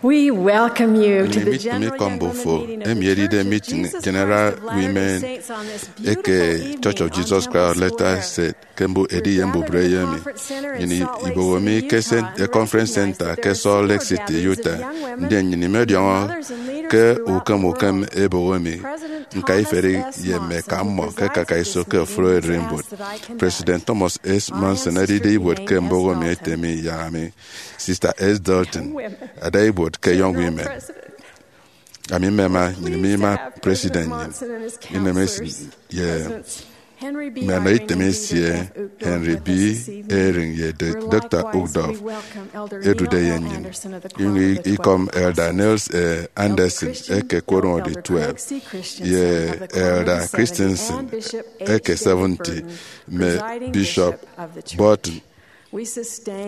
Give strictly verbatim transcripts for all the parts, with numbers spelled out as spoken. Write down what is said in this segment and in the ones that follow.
We welcome you to the General General Meeting of the Church of Jesus Christ of Latter-day Saints on this beautiful eke Church of Jesus Christ of Latter-day Saints ke mbu edi ye mbubreyo emi. Nnyịn iboho mi ke Conference Center ke Salt Lake City, Utah. Ndien nnyịn imediọñọ ke ukem ukem eboho mi nka iferi ye mme eka mmọ ke akaka iso ke ofụri ererimbot. President Thomas S. Monson edide ibuot ke mboho mi ete mi yak ami, Sister S. Dalton, ada ibuot ke Young Women. Ami mmema nnyịn ima President nnyịn, inemesin ye mme anọ item esie, Henry B. Eyring ye Doctor Uchtdorf edude ye nnyịn, inyụñ ikom Elder Nils A. Andersen eke Quorum of the Twelve, ye Elder Christensen eke Seventy, mme Bishop Burton,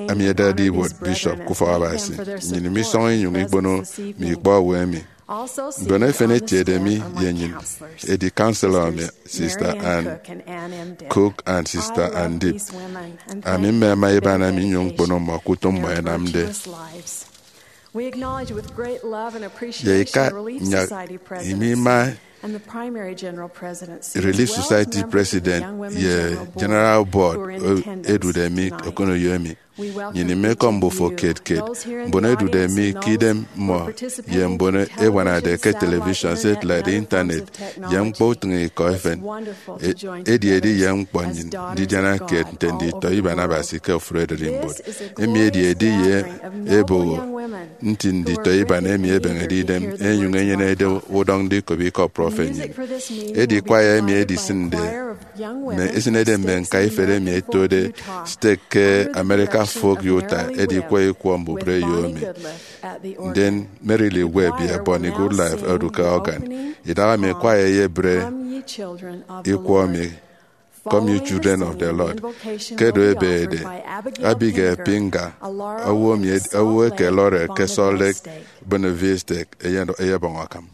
ami edade ibuot Bishop ke ufọk Abasi. Nnyịn imisọñọ inyụñ ikpono mme ikpọ owo emi. Mbon efen etiede mi ye nnyịn edi counselor mi, Sister Ann Cook and Sister Ann Deep. Ami mmema iban ami nnyụñ ñkpono mmọ ke utom mmọ ẹnamde. Ye ika nyak imi ima Relief Society President ye General Board edude mi okoneyo emi. Nnyịn imekọm mbufo kiet kiet, mbon edude mi ke idem mmọ, ye mbon ebuanade ke television, satellite, internet, ye ñkpọ utịñikọ efen. Edi edi ye ñkpọ nnyịn ndidiana kiet nte nditọ iban Abasi ke ofụri ererimbot. Emi edi edi ye eboho nti nditọ iban emi ẹbeñede idem, ẹnyụñ ẹnyenede udọñ ndikop ikọ prọfet nnyịn. Edi kwaya emi edisịnde mme esịnede mme ñka ifet emi ẹtode stek ke America Folk Utah ẹdikwọ ikwọ mbubreyo emi. Ndien Mary Lee Webb ye Bonnie Goodlife ẹdu ke organ. Idaha emi kwaya eyebre ikwọ emi, Come, Ye Children of the Lord. Ke edu ebeñede, Abigail Pinga, owo eke Laurel ke Salt Lake, Buena Vista, eyebọñ akam.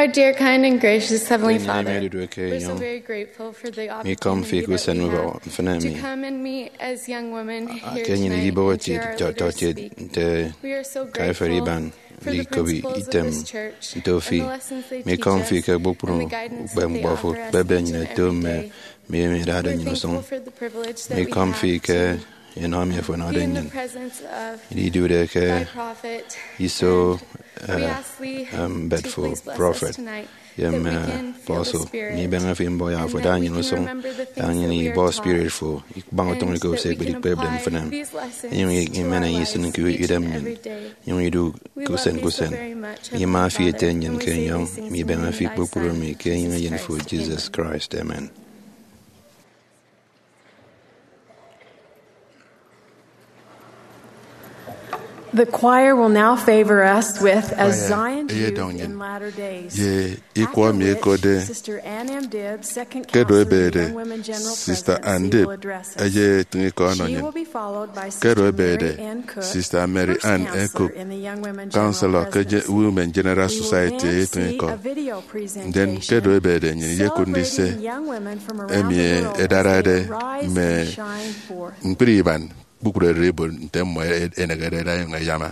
Our dear, kind, and gracious Heavenly Enye emi Father, odudu eke we're so enyọñ, very grateful for the mi kọm fi opportunity ke that usen we ubọk have mfịn to emi. Come and meet as young women here tonight and share our ideas of peace. Nte we are so grateful iban for the principles of this church and the lessons they teach us and the guidance that they offer us each and every day. Mi kọm fi ke kpukpru ukpepñkpọ fo, kpebe nnyịn eto mme mi emi edade nnyịn usụñ. Mi kọm fi ke enọ emi afo ọnọde nnyịn. Ididude ke iso mbet fo, prọfet, ye mme apostle, mi ibeñe fi mbọ ya afo da nnyịn usụñ, da nnyịn ibọ spirit fo, ikpañ utọñ iko se ekpedi ikpepde mfịna. Inyụñ imen enye isịn ke idem nnyịn, inyụñ idu ke usen ke usen. Ima fi ete nnyịn ke enyọñ, mi ibeñe fi kpukpru emi ke enyịñ eyen fo, Jesus Christ. Amen. The choir will now favor us with As Zion Do in Latter Days, ye ikọ mi ekode Kedo Ebede, Sister Ann Dibb eye etịñ ikọ ọnọ nnyịn. Kedo Ebede, Sister Mary Ann Cook, Counselor ke Women General Society eye etịñ ikọ. Ndien Kedo Ebede, nnyịn iyekụt ndise emi ẹdarade mme ñkpri iban kpukpru ererimbot nte mmọ ẹnehede ẹda ẹnyụñ ẹyama.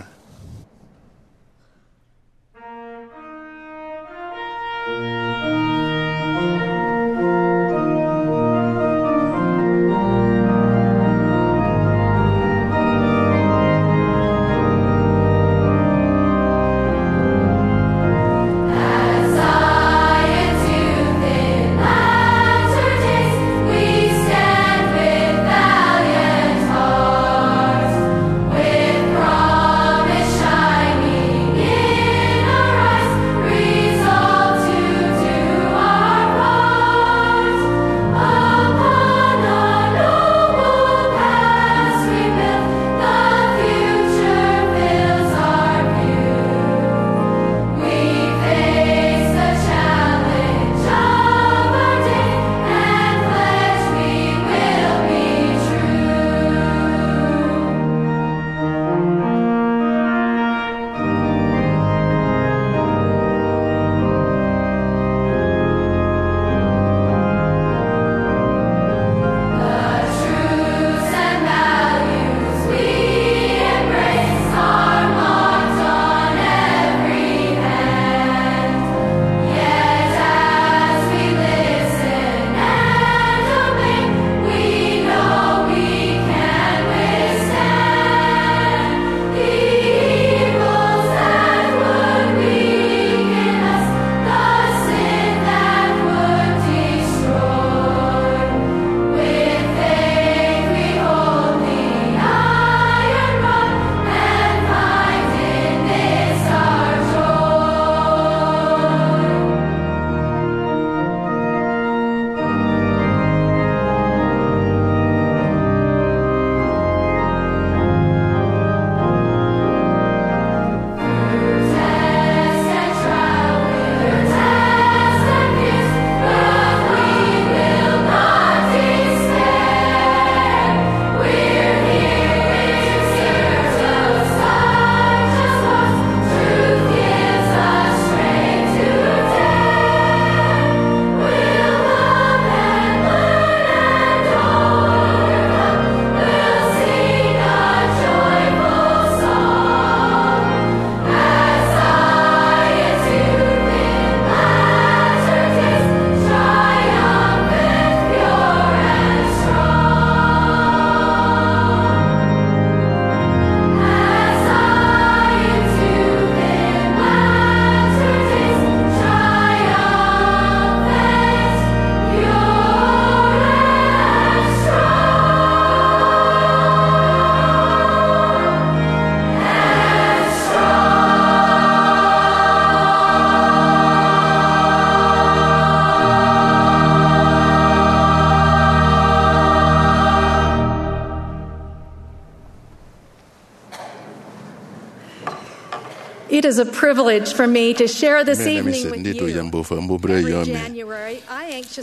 It is a privilege for me to share this evening with you. Ndidu ye mbufo mbubreyo mi.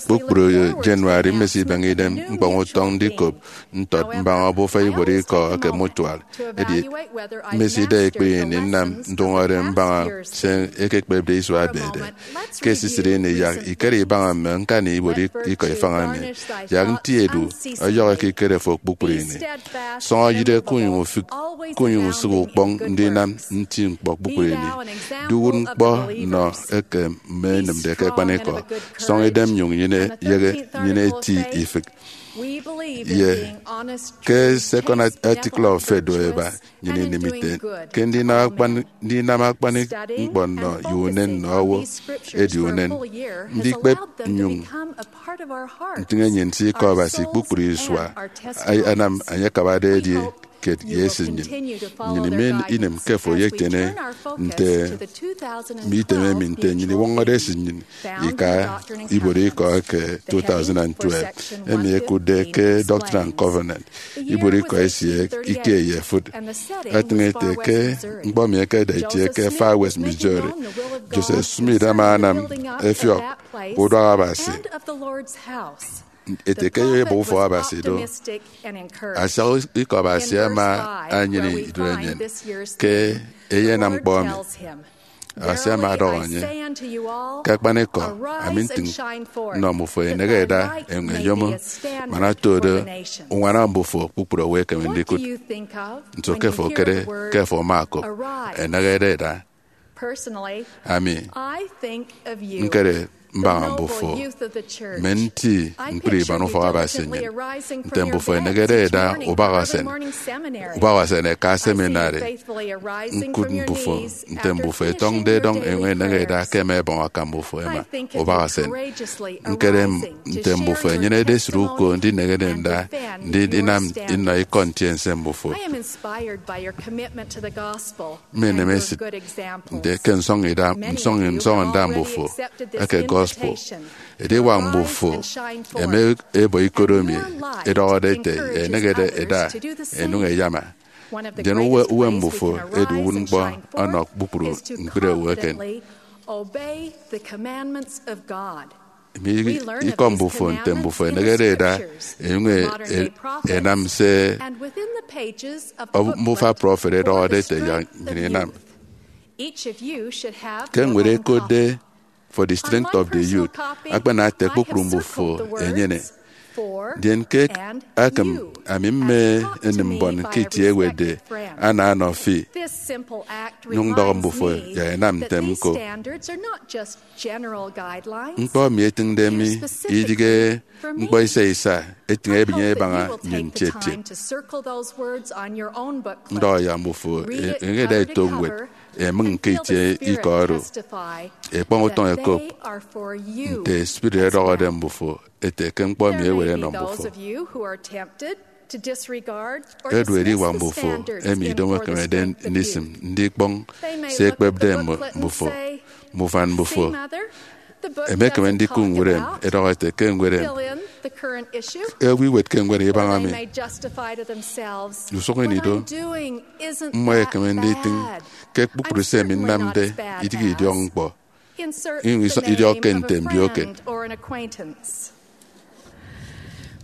Kpukpru January, mmesibeñe idem mkpọñ utọñ ndikop ntọt mbaña obufa ibuot ikọ eke mutual. Edi mmesida ekpri ini nnam ndụñọde mbaña se ekekpepde isua ebede. Ke esisịt ini, yak ikere ibaña mme ñkani ibuot ikọ ifañ emi. Yak nti edu ọyọhọ ekikere fo kpukpru ini. Sọñọ eyịde kunyụñ ufịk, kunyụñ usụk ukpọñ ndinam nti ñkpọ kpukpru ini. Duwụt ñkpọ nọ eke mme enịmde ke akpanikọ. Sọñọ idem nyụñ nyene, yeghe, nyene eti ifịk. Ye ke second article of faith do eba, nnyịn inịm ite ke ndinam akpan-, ndinam akpanikọ nnọ ye unen nnọ owo edi unen. Ndikpep nnyụñ ntịñ enyịn nti ikọ Abasi kpukpru isua, anam enye akabade edi kiet ye esịt nnyịn. Nnyịn inem ke fo eyetiene nte mme item emi nte nnyịn iwọñọde esịt nnyịn ika ibuot ikọ eke two thousand and twelve, emi ẹkụtde ke Doctrine and Covenant, ibuot ikọ esie ikie ye efụt. Etịñ ete ke ñkpọ emi ekeda itie ke Far West, Missouri. Joseph Smith ama anam efiọk uduak Abasi ete ke eyo ebọ ufọk Abasi do. Asiak ikọ Abasi ama enyene idorenyin ke eyenam ñkpọ emi. Abasi ama ọdọhọ enye, ke akpanikọ, ami ntịñ nnọ mbufo, eneñede ẹda enyọñ ẹyomo, man otodo, uñwana mbufo kpukpru owo ẹkeme ndikụt. Nso ke fo ekere ke fo ama okop, eneñede ẹda? Ami ñkere mbaña mbufo, mme nti ñkpri iban ufọk Abasi nnyịn, nte mbufo eneñede ẹda ubak usen, ubak usen ẹka seminary, ñkụt mbufo nte mbufo ẹtọñde edọñ, enyụñ eneñede ẹda ke ẹma ẹbọñ akam mbufo ẹma ubak usen. Ñkere nte mbufo ẹnyenede esịt uko ndineñede nda ndinam nnọ ikọ ntiense mbufo. Mmenem esịt nte ke nsọñida, nsọñ, nsọñọ nda mbufo eke gospel. Ediwak mbufo ẹma ẹbọ ikot emi ẹdọhọde ẹte ẹneñede ẹda ẹnyụñ ẹyama. Ndien uwe, uwem mbufo edi uwụtñkpọ ọnọ kpukpru ñkpri owo eken. Emi ikọ mbufo nte mbufo eneñede ẹda ẹnyụñ ẹ-, ẹ-, ẹnam se mbufa prọfet ẹdọhọde ẹte yak nnyịn inam. Ke ñwed ẹkotde For the Strength of the Youth, akpana ete kpukpru mbufo ẹnyene. Ndien ke akịm, ami mme enim mbon ke itie ẹwetde ana ọnọ fi, nyụñ ndọhọ mbufo yak ẹnam ntem ñko. Ñkpọ emi etịñde mi idịghe ñkpọ isa isa, etịñ ebiñe ẹbaña nnyịn ntiet ntiet. Ndọhọ yak mbufo e-, eñede ẹto ñwed, ẹmịñ ke itie ikọ oro, ẹkpọñ utọñ ẹkop nte spirit ẹdọhọde mbufo ete ke ñkpọ emi ẹwet ẹnọ mbufo. Edu ediwak mbufo emi idomo ekemede ndisịm ndikpọñ se ekpepde mbufo. Mme ufan mbufo ẹmekeme ndikụt ñwed emi ẹdọhọ ẹte ke ñwed emi, owo iwetke ñwed ibaña mi. Usụk ini do, mmọ ẹkeme nditịñ ke kpukpru se ami nnamde idịghe idiọk ñkpọ, inyụñ idiọkke nte mbioke.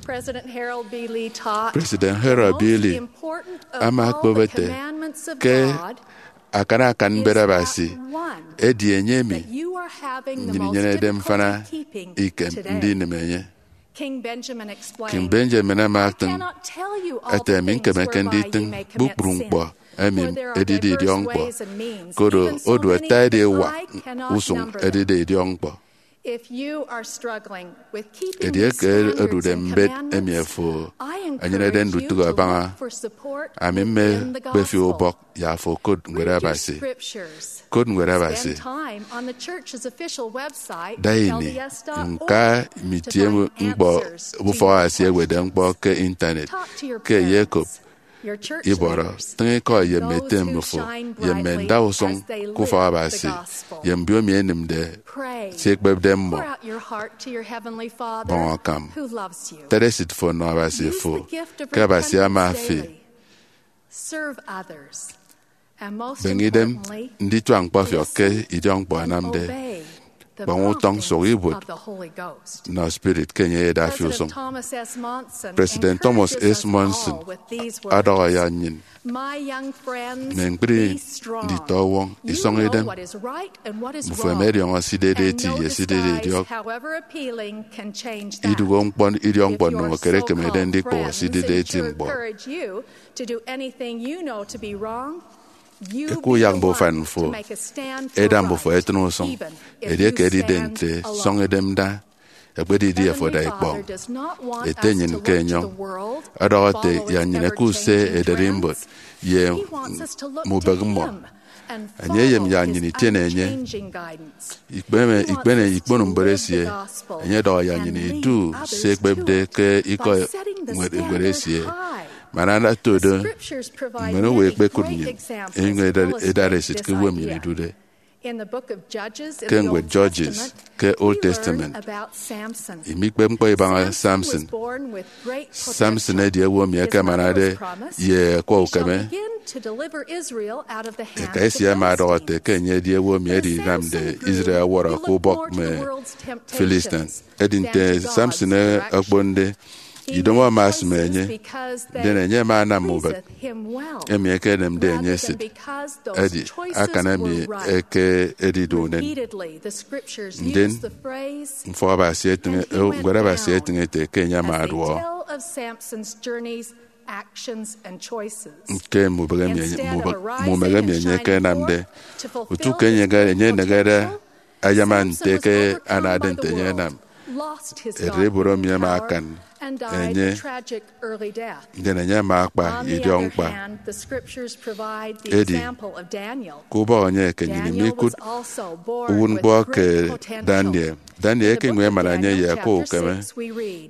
President Harold B. Lee ama okpep ete ke akan akan mbet Abasi edi enye emi nnyịn inyenede mfana ikem ndinịm enye. King Benjamin ama etịñ ete, mi ñkemeke nditịñ kpukpru ñkpọ emi edide idiọkñkpọ, koro odu ata ediwak usụñ edide idiọkñkpọ. Edieke odude mbet emi afo enyenede ndutịk abaña, ami mme kpefi ubọk yak afo okot ñwed Abasi. Kot ñwed Abasi. Da ini ñka mme itie ñkpọ ufọk Abasi ẹwetde ñkpọ ke Intanet. Ke eyekop ibọrọ, tịñ ikọ ye mme ete mmịfo ye mme ndausụñ ke ufọk Abasi ye mbiomi ẹnịmde se ekpepde mmọ. Bọñ akam. Tet esịt fo nọ Abasi fo, ke Abasi ama fi. Beñe idem ndituak ñkpọfiọk ke idiọkñkpọ anamde. Kpañ utọñ, sụk ibuot, nọ spirit ke enye eyeda fi usụñ. President Thomas S. Monson ọdọhọ yak nnyịn mme ñkpri nditọwọñ, isọñ idem. Mbufo ẹma ẹdiọñọ se idide eti ye se idide idiọk. Iduhe ñkpọ idiọkñkpọ ndomo kiet ekemede ndikpụhọ se idide eti ñkpọ. Ẹkuyak mbe ufan fo ẹda mbufo ẹtịn usụñ, edieke edide nte sọñ idem da, ekpedidi afo da ikpọñ. Ete nnyịn ke enyọñ ọdọhọ ete yak nnyịn ẹkụt se ederimbot ye mubịk mmọ. Enye eyem yak nnyịn itiene enye. Ikpeme, ikpene ikpono mbet esie, enye ọdọhọ yak nnyịn idu se ekpepde ke ikọ ñwed, ñwed esie. Man ata odo, mbon owo ẹkpekụt nnyịn ẹnyụñ ẹda-, ẹdara esịt ke uwem nnyịn idude. Ke ñwed Judges ke Old Testament, imikpep ñkpọ ibaña Samson. Samson edi owo emi ẹkemanade ye akwa ukeme. Eka esie ama ọdọhọ ete ke enye edi owo emi edinamde Israel ọwọrọ ke ubọk mme Philistine. Edi nte Samson okponde, idomo ama esịm enye, ndien enye ama anam ubịk emi ekenemde enye esịt. Edi akan emi eke edidu unen. Ndien mfọk Abasi etịñ, eh, ñwed Abasi etịñ ete ke enye ama aduọ. Ke mubịk emi enye, mubịk, mumịk emi enye ekenamde, utu ke enye, enye enegede ayama nte ke anade nte enye enam. Ererimbot emi ama akan enye, ndien enye ama akpa idiọk ñkpa. Edi, ke ubọk enye ke nnyịn imikụt uwụtñkpọ ke Daniel. Daniel ekenyụñ emana enye ye akwa ukeme.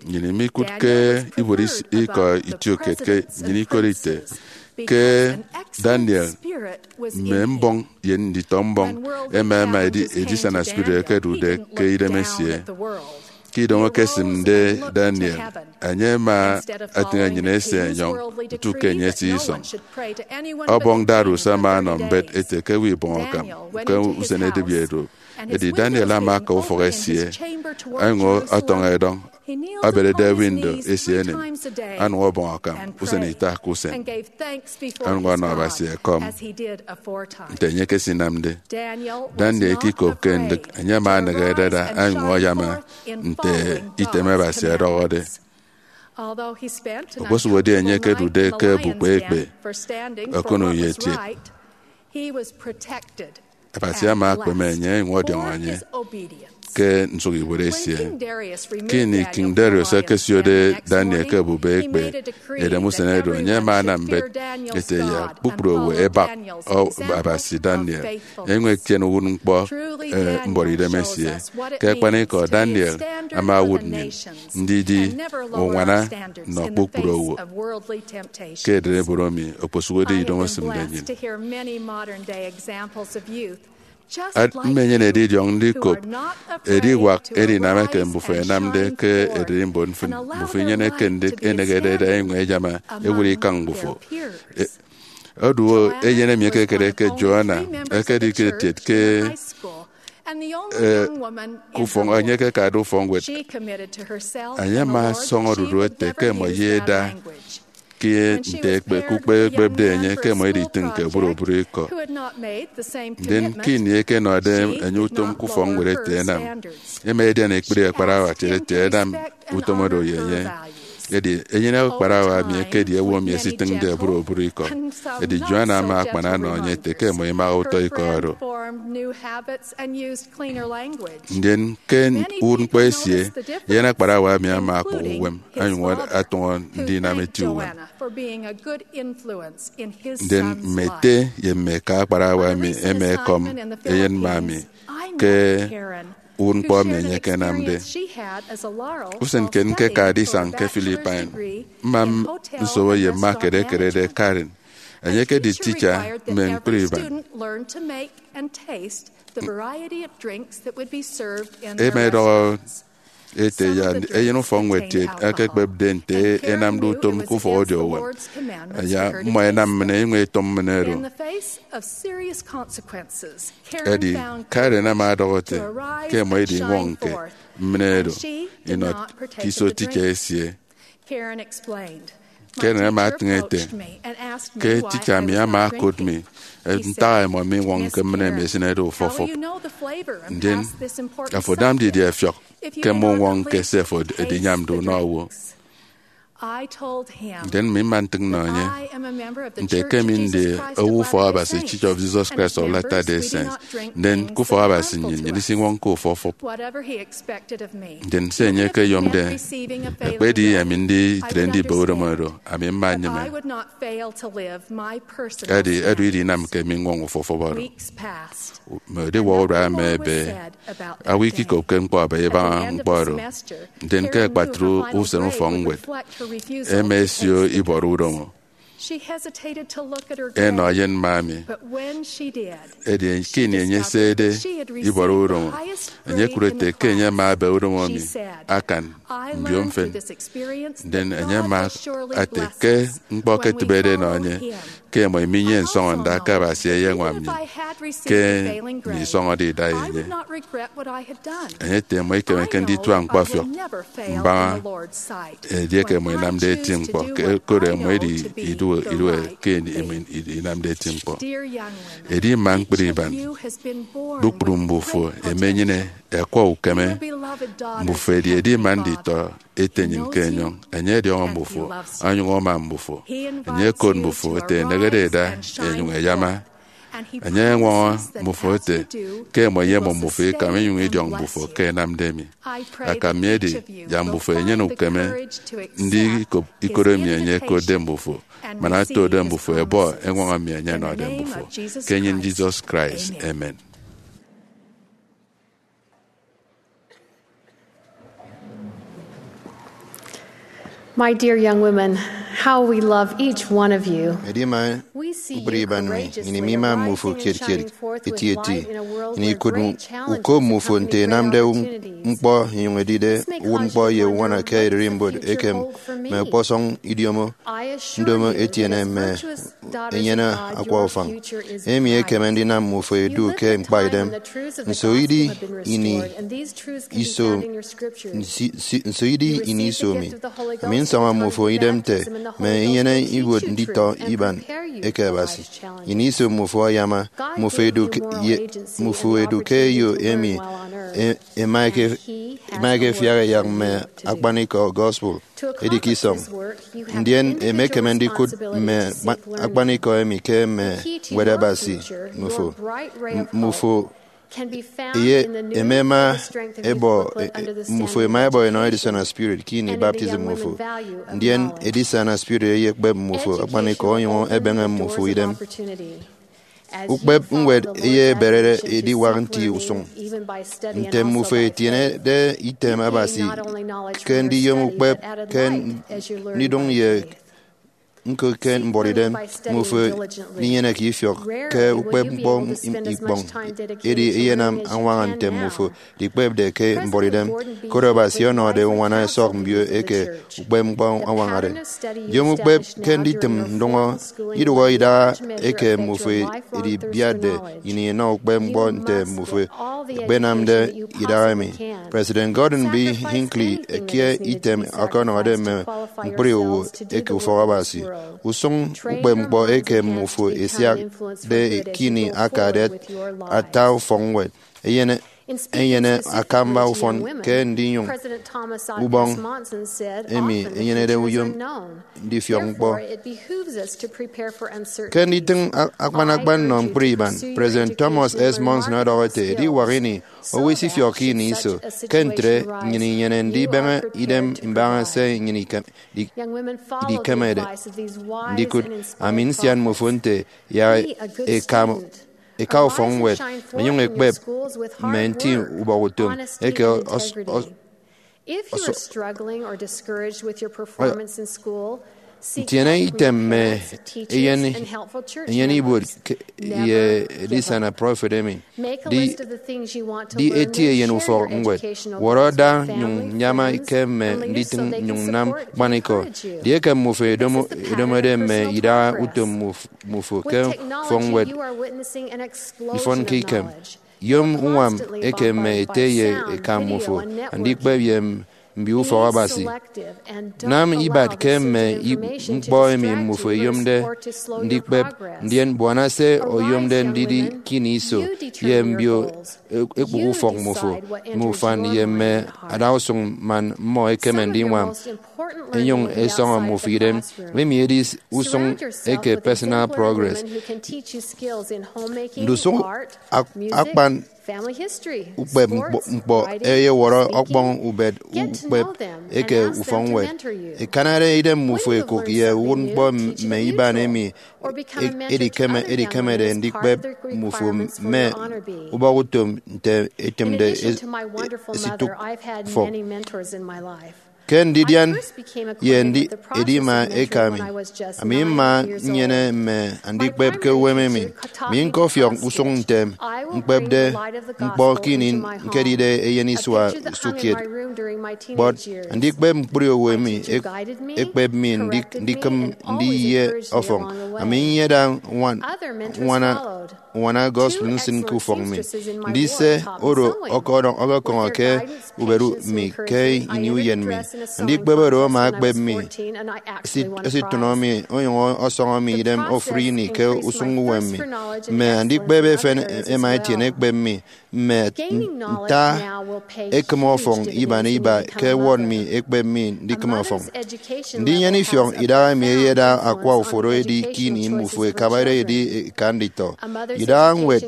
Nnyịn imikụt ke ibuot is-, ikọ itiokiet ke nnyịn ikot ite ke Daniel, mme mbọñ ye nditọ mbọñ ẹma ẹma edi-, edisana spirit ẹkedude ke idem esie. Ke idomo ekesịmde Daniel, enye ama etịñ enyịn ese enyọñ ntu ke enye eti isọñ. Ọbọñ Darius ama ọnọ mbet ete ke ewe ibọñ akam ke usen edịbi edu. Edi Daniel ama aka ufọk esie, onyụñ ọtọñọ edọñ, ọberede window esie enem, onyụñ ọbọñ akam usen ita ke usen, onyụñ ọnọ Abasi ekọm nte enye ekesinamde. Daniel ikikopke ndịk, enye ama aneghe edada, onyụñ ayama nte item Abasi ọdọhọde. Okposụkedi enye ekedude ke obukpe ekpe, ọkụnọ ye etiet, Abasi ama akpeme enye, onyụñ ọdiọñọ enye ke nsụk ibuot esie. Ke ini King Darius ekesiode Daniel ke obube ekpe edem usen edu, enye ama anam mbet ete yak kpukpru owo ẹbak, ọ, Abasi Daniel, enyụñ etiene uwụtñkpọ, eh, mbuọtidem esie. Ke akpanikọ, Daniel ama owụt nnyịn ndidi uñwana nnọ kpukpru owo ke ererimbot emi okposụkedi idomo esịmde nnyịn. Ad-, mmenyene edidiọñ ndikop ediwak edinam eke mbufo ẹnamde ke ererimbot mfịn. Mbufo inyeneke ndịk enegede eda enyụñ ẹyama ewụt ikañ mbufo. E-, odu eyen emi ekekere ke Joanna ekedi ke etiet ke, eh, ke ufọk, enye ekekade ufọkñwed. Enye ama asọñọ odudu ete ke ẹmọ ye eda ke nte ekpe, ke ukpe ekpepde enye ke ẹmọ editịñ ke oburobụrụ ikọ. Ndien ke ini ẹkenọde enye utom ke ufọkñwed ete ẹnam, ẹma ẹdian ekpri akparawa ẹtiede ete ẹnam utom oro ye enye. Edi enyene akparawa emi ekedi owo emi esitịñde oburobụrụ ikọ. Edi Joan ama akpan ọnọ enye ete ke ẹmọ imaha utọ ikọ oro. Ndien ke uwụtñkpọ esie, eyen akparawa emi ama akpụk uwem, onyụñ atụñọ ndinam eti uwem. Ndien mme ete ye mme eka akparawa emi ẹma ẹkọm eyen mma mi ke uwụtñkpọ emi enye ekenamde. Usen kiet ñkekade isañ ke Philippines, mma nsobo ye mma kiet ẹkerede Karen. Enye ekedi teacher mme ñkpri iban. Ẹma ẹdọhọ ete ya eyen ufọkñwed kiet ẹkekpepde nte ẹnamde utom ke ufọk ọdiọñ uwem. Ya mmọ ẹnam mmịn ẹnyụñ ẹtọm mmịn ẹdu. Edi Karen ama ọdọhọ ete ke ẹmọ ẹdi ñwọñke mmịn ẹdu inọ ke iso teacher esie. Karen ama etịñ ete ke teacher mi ama okụt mi ntak ẹmọ miñwọñke mmịn emi esịnede ufọfọp. Ndien, afo anam didie ọfiọk ke mmuñwọñke se afo ediñwamde unọ owo? Ndien mi mma ntịñ nnọ enye nte ke mi ndi owo Ufọk Abasi, Church of Jesus Christ of Latter-day Saints, ndien ke Ufọk Abasi nnyịn, nnyịn isiñwọñke ufọfọp. Ndien se enye ekeyomde, ekpedi emi nditre ndibe udomo oro, ami mma nnyịme. Edi edu idinam ke miñwọñ ufọfọp oro. Mme ediwak urua ẹma ẹbe, owo ikikopke ñkpọ aba ibaña ñkpọ oro. Ndien ke akpatre usen ufọkñwed, ẹma ẹsio ibọrọ udomo ẹnọ eyen mma mi. Edi ke ini enye esede ibọrọ udomo, enye ekụt ete ke enye ama ebe udomo mi akan mbio mfịn. Ndien enye ama ete ke ñkpọ ke etịbede enọ enye, ke ẹmọ iminyene nsọñọnda ke Abasi eyeñwam nnyịn ke mi isọñọde ida enye. Enye ete ẹmọ ikemeke nditua ñkpọfiọk mbaña edieke ẹmọ inamde eti ñkpọ, ke koro ẹmọ edi idue idue ke ẹmọ inamde eti ñkpọ. Edi mma ñkpri iban, kpukpru mbufo ẹmenyene ẹkwọ ukeme. Mbufo ẹdi edima nditọ Ete nnyịn ke enyọñ. Enye ọdiọñọ mbufo, onyụñ ama mbufo. Enye okot mbufo ete ẹnehede ẹda ẹnyụñ ẹyama. Enye ọñwọñọ mbufo ete ke ẹmọ ẹyemọ mbufo ikam inyụñ idiọñ mbufo ke ẹnamde emi. Akam mi edi yak mbufo ẹnyene ukeme ndikop ikot emi enye okotde mbufo, man otode mbufo ẹbọ eñwọñọ emi enye ọnọde mbufo. Ke enyịn Jesus Christ, amen. My dear young women, how we love each one of you. Edima We see ñkpri you iban mi, courageously nnyịn imima mmufo arising and kiet kiet, shining forth with eti eti. Light in a world Nnyịn where ikụt great challenges uko mmufo nte and ẹnamde opportunities. Ñkpọ inyụñ edide This may uwụt cause ñkpọ you ye to uñwana wonder ke what ererimbot the future ekem hold for me. Mme ọkpọsọñ idiomo I assure ndomo you etiene that as mme virtuous daughters enyene of God, akwa your ufañ. Future is Emi bright. Ekeme ndinam mmufo edu This is ke a time ñkpaidem. When the truths of the Nso idi gospel have been ini restored, and these truths can be iso found in your scriptures. Nsi- si- nso idi ini iso mi. Ami nsọñọ mmufo idem nte mme inyene iwot nditọ iban eke Abasi. Ini iso mmufo ayama, mmufo edu ke, ye, mmufo edu ke eyo emi e- ema eke ema eke efiak eyak mme akpanikọ gospel edi ke isọñ. Ndien emekeme ndikụt mme akpa- akpanikọ emi ke mme ñwed Abasi mmufo. M- mmufo Eye emema ebo e- e- mmufo ema ebo enọ edisana spirit ke ini baptism mmufo. Ndien edisana spirit eyekpep mmufo akpanikọ onyụñ ebeñe mmufo idem. Ukpep ñwed eyeberede ediwak nti usụñ. Nte mmufo etienede item Abasi ke ndiyom ukpep ke ndidụñ ye ñko ke mbuọtidem, mmufo minyeneke ifiọk ke ukpep ñkpọ ikpọñ. Edi eyenam añwaña nte mmufo dikpepde ke mbuọtidem, koro Abasi ọnọde uñwana ẹsọk mbio eke ukpep ñkpọ añwañade. Yom ukpep ke nditịm ndụñọ, idụhọ idaha eke mmufo edibiatde ini inọ ukpep ñkpọ nte mmufo ẹkpenamde idaha emi. President Gordon B. Hinckley ke item ọkọnọhọde mme ñkpri owo eke ufọk Abasi, usụñ ukpep ñkpọ eke mmufo esiakde ke ini akade ata ufọkñwed, enyene enyene akamba ufọn ke ndinyụñ ubọñ emi enyenede uyom ndifiọk ñkpọ. Ke nditịñ a- akpan akpan nnọ ñkpri iban, President Thomas S. Monson ọdọhọ ete, ediwak ini owo isifiọkke ini iso, ke ntre nnyịn inyene ndibeñe idem mbaña se nnyịn ikem- di- idikemede ndikụt. Ami nsian mmufo nte yak eka eka ufọkñwed, ẹnyụñ ẹkpep mme nti ubọhọ utom eke os- os- If you are struggling or discouraged with your performance in school, Ntiene item mme eyen, eyen ibuot ke, ye edisana prọfet emi. Di, di eti eyen ufọk ñwed. Wọrọ da nyụñ nyama ke mme nditịñ nyụñ nam ñkpanikọ. Di eke mmufo edomo-, edomode mme idaha utom muf-, mufo ke ufọk ñwed ifọnke ikem. Yom uñwam eke mme ete ye eka mmufo andikpep ye mbio ufọk Abasi. Nam ibat ke mme i-, ñkpọ emi mmufo eyomde ndikpep, ndien buana se oyomde ndidi kini iso ye mbio e-, ekpụk ufọk mmufo, mme ufan ye mme adausụñ man mmọ ẹkeme ndiñwam ẹnyụñ ẹsọñọ mmufo idem. Emi edi usụñ eke personal progress. Ndusụk ak-, akpan ukpep ñkpọ, ñkpọ ẹyewọrọ ọkpọñ ubet ukpep eke ufọkñwed. Ẹkanade idem mmufo ẹkụk ye uwụtñkpọ mme iban emi e-, edikeme, edikemede ndikpep mmufo mme ubọk utom nte etịmde es-, esitụk ufọk. Ke ndidian ye ndi-, edima eka mi, ami mma nnyene mme andikpep ke uwem emi. Mi ñkọfiọk usụñ ntem ñkpepde ñkpọ ke ini ñkedide eyen isua usụkkiet. Kpọt andikpep ñkpri owo emi ek-, ekpep mi ndik-, ndikịm ndiye ọfọñ. Ami nyeda ñwan-, ñwana uñwana gospel nsịn ke ufọk mi. Ndi se oro ọkọdọñ-, ọkọkọñọ ke ubet mi ke ini uyen mi. Andikpep oro ama ekpep mi, esi-, esitụnọ mi, onyụñ ọsọñọ mi idem ofụri ini ke usụñ uwem mi. Mme andikpep efen ẹma ẹtiene ẹkpep mi mme nta ekịm ọfọñ iban iba ke ẹwọt mi ẹkpep mi ndikịm ọfọñ. Ndinyene ifiọk idaha emi eyeda akwa uforo edi ke ini mmufo ẹkabade edi eka nditọ. Idaha ñwed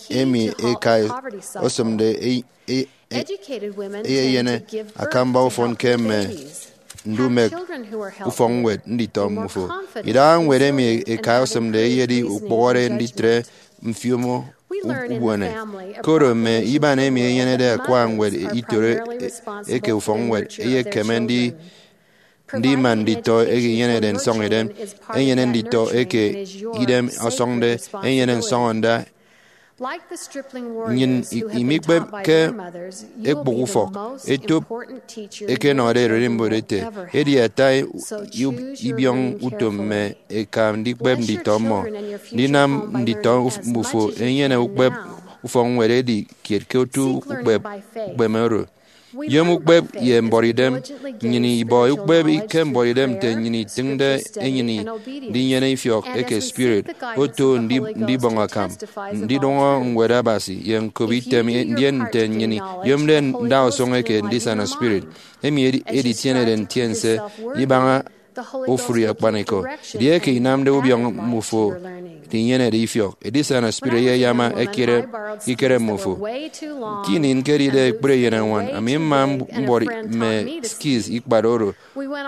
emi eka osịmde e-, e-, e-, eyenyene akamba ufọn ke mme ndumek ufọkñwed nditọ mmufo. Idaha ñwed emi eka osịmde eyedi ukpụhọde nditre mfiomo u-, ubuene. Koro mme iban emi enyenede akwa ñwed itoro e-, eke ufọkñwed eyekeme ndi-, ndima nditọ eke inyenede nsọñidem, enyene nditọ eke idem ọsọñde, enyene nsọñọnda. Nnyịn i-, imikpep ke ekpụk ufọk etop eke ẹnọde ererimbot ete, edi ata i-, ibiọñ utom mme eka ndikpep nditọ mmọ. Ndinam nditọ uf-, mmufo ẹnyene ukpep ufọkñwed edi kiet ke otu ukpep ukpeme oro. Yom ukpep ye mbuọtidem. Nnyịn ibọ ukpep ke mbuọtidem nte nnyịn itịñde enyịn ndinyene ifiọk eke spirit, oto ndi-, ndibọñ akam, ndidụñọ Ñwed Abasi ye ñkop item, ndien nte nnyịn iyomde ndausụñ eke ndisana spirit, emi edi-, editienede ntiense ibaña ofụri akpanikọ. Edieke inamde ubiọñ mmufo ndinyenede ifiọk, edisana spirit eyeyama ekere ikere mmufo. Ke ini ñkedide ekpri eyenañwan, ami mma mb-, mbuọt mme skis ikpat oro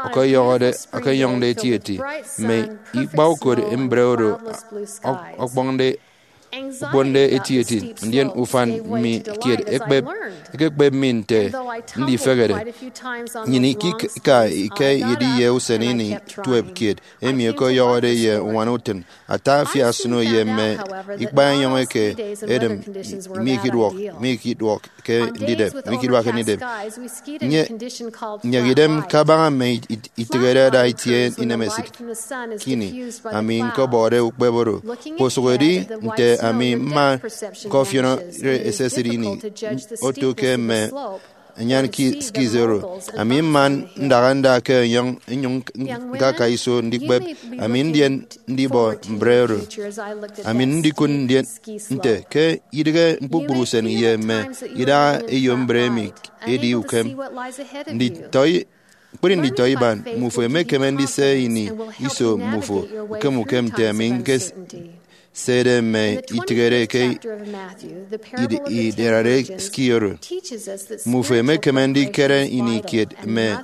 ọkọyọhọde, ọkọyọñde etieti, mme ikpaukot mbre oro ọ-, ọkpọñde, okponde etieti, ndien ufan mi kiet ekpep, ekekpep mi nte ndifehede. Nnyịn ikika ike ediye usen ini tuep kiet emi ọkọyọhọde ye uñwana utịn. Ata afiak snow ye mme ikpaenyọñ eke edịm mikiduọk, mikiduọk ke ndidep, mikiduak ke ndidep. Nye-, nyek idem kabaña mme it-, itịghede ada itie inemesịt. Kini ami ñkọbọde ukpep oro, kposụk edi nte ami mma ñkọfiọnọre esesịt ini oto ke mme anyan ki-, skis oro. Ami mma ndaha nda ke enyọñ, nnyụñ ñkaka iso ndikpep. Ami ndien ndibọ mbre oro. Ami ndikụt ndien nte ke idịghe kpukpru usen ye mme idaha eyo mbre emi edi ukem. Nditọ i-, ñkpri nditọ iban, mmufo emekeme ndise ini iso mmufo ukem ukem nte ami ñkes-, Se ede mme itịghede ke id- idarare ski oro. Mmufo emekeme ndikere ini kiet mme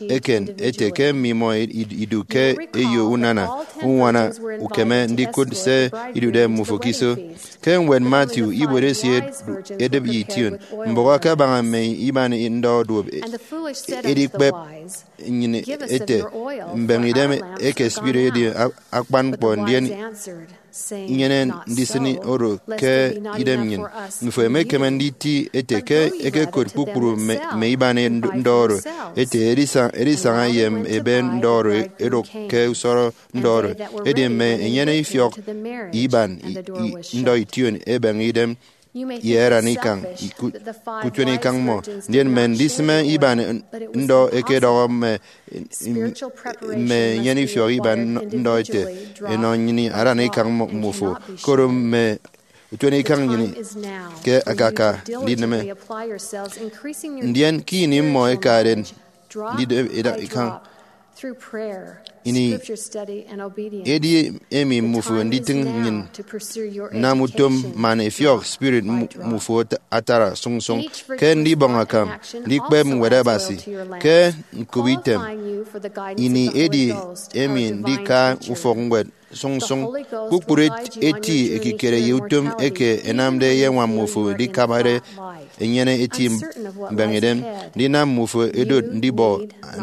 eken ete ke mmimọ id- idu ke eyo unana uñwana ukeme ndikụt se idude mmufo ke iso. Ke ñwed Matthew, ibuot esie edịp ye ition, mbụk akabaña mme iban ndọ duop, e- edikpep nnyịn ete, mbeñe idem eke spirit edi a- akpan ñkpọ, ndien nyene ndisịn oro ke idem nnyịn. Mmufo emekeme nditi ete ke ẹkekot kpukpru mme mme iban ndọ oro ete, edisa- edisaña ye ebe ndọ oro edụk ke usọrọ ndọ oro. Edi mme enyene ifiọk iban i- i- ndọ ition ebeñe idem ye aran ikañ ku- kutuen ikañ mmọ. Ndien mme ndisịme iban ndọ ẹkedọhọ mme mme enyene ifiọk iban ndọ ete, enọ nnyịn aran ikañ mmufo, koro mme utuen ikañ nnyịn ke akaka ndineme. Ndien ke ini mmọ ẹkade ndide ida ikañ, ini edi emi mmufo nditịñ nnyịn nnam utom man ẹfiọk spirit mmufo atara sụñsụñ ke ndibọñ akam ndikpep Ñwed Abasi ke ñkop item. Ini edi emi ndika ufọkñwed sụñsụñ. Kpukpru eti ekikere ye utom eke ẹnamde ẹyeñwam mmufo edikabade enyene eti mbeñe idem, ndinam mmufo ẹdot ndibọ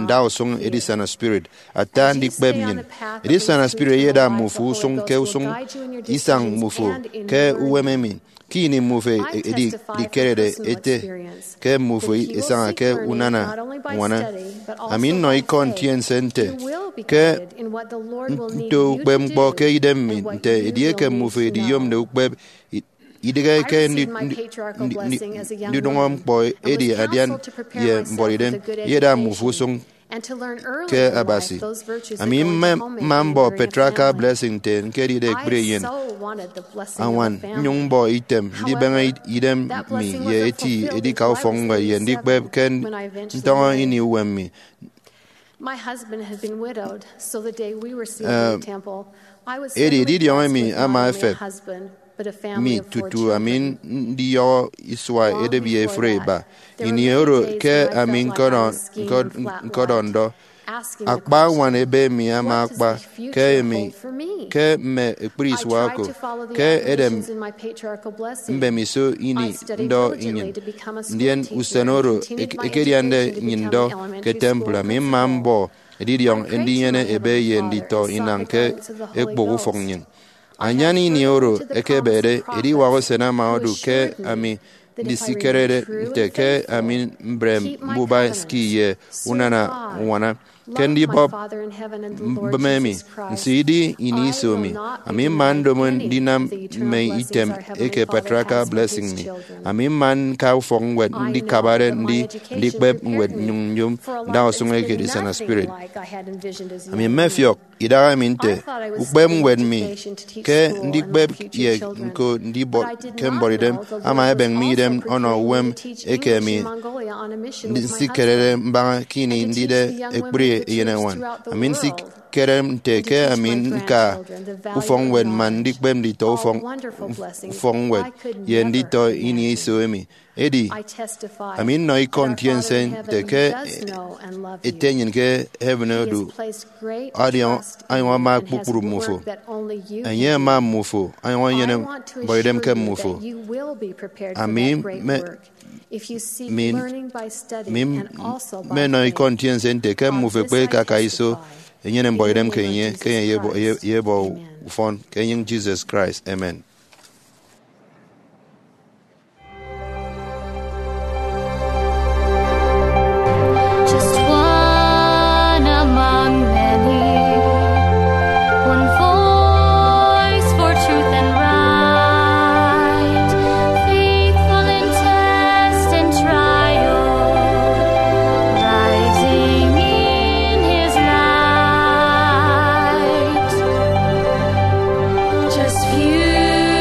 ndausụñ edisana spirit. Ata ndikpep nnyịn, edisana spirit eyeda mmufo usụñ ke usụñ isañ mmufo ke uwem emi. Ke ini mmufo edi- edikerede ete ke mmufo esaña ke unana ñwana, ami nnọ ikọ ntiense nte ke nto ukpepñkpọ ke idem mi nte edieke mmufo ediyomde ukpep, i- idịghe ke ndi- ndi- ndi- ndi- ndidụñọ ñkpọ edi adian ye mbuọtidem eyeda mmufo usụñ ke Abasi. Ami mma mbọ patriarchal blessing nte ñkedide ekpri eyen añwan, nnyụñ mbọ item ndibeñe idem mi ye eti edika ufọkñwed ye ndikpep ke ntọñọ ini uwem mi. Edi edidiọñ emi ama efep mi tutu ami ndiyọhọ isua edep ye efuri iba. Ini oro ke ami ñkọdọ- ñkọd- ñkọdọ ndọ, akpa añwan ebe mi ama akpa ke emi ke mme ekpri isua oko ke edem mbemiso ini ndọ nnyịn. Ndien usen oro ek- ekediande nnyịn ndọ ke temple, ami mma mbọ edidiọñ ndinyene ebe ye nditọ inañ ke ekpụk ufọk nnyịn. Anyan ini oro ekebede, ediwak usen ama odu ke ami ndisikerede nte ke ami mbre mbuba ski ye unana uñwana ke ndibọp mbịme emi. Nso idi ini iso mi, ami mma ndomo ndinam mme item eke patriarchal blessing mi. Ami mma ñka ufọkñwed ndikabade ndi- ndikpep ñwed nnyụñ nyom ndausụñ eke edisana spirit. Ami mmefiọk idahaemi nte ukpepñwed mi ke ndikpep ye ñko ndibọ- ke mbuọtidem ama ebeñ mi idem ọnọ uwem eke mi nsikerede mbaña ke ini ndide ekpri eyeneñwan. Ami nsikere nte ke ami ñka ufọkñwed man ndikpep nditọ ufọk- ufọkñwed ye nditọ ini iso emi. Edi, ami nnọ ikọ ntiense nte ke Ete nnyịn ke heaven odu, ọdiọñ, ọnyụñ ama kpukpru mmufo. Enye ama mmufo, ọnyụñ enyene mbuọtidem ke mmufo. Ami mme- mi- mi- mmenọ ikọ ntiense nte ke mmufo ekpe ke aka iso enyene mbuọtidem ke enye, ke enye eyebọ- eyebọ ufọn ke enyịñ Jesus Christ. Amen. Just one among many, one voice for truth and right, faithful in test and trial, rising in his light. Just few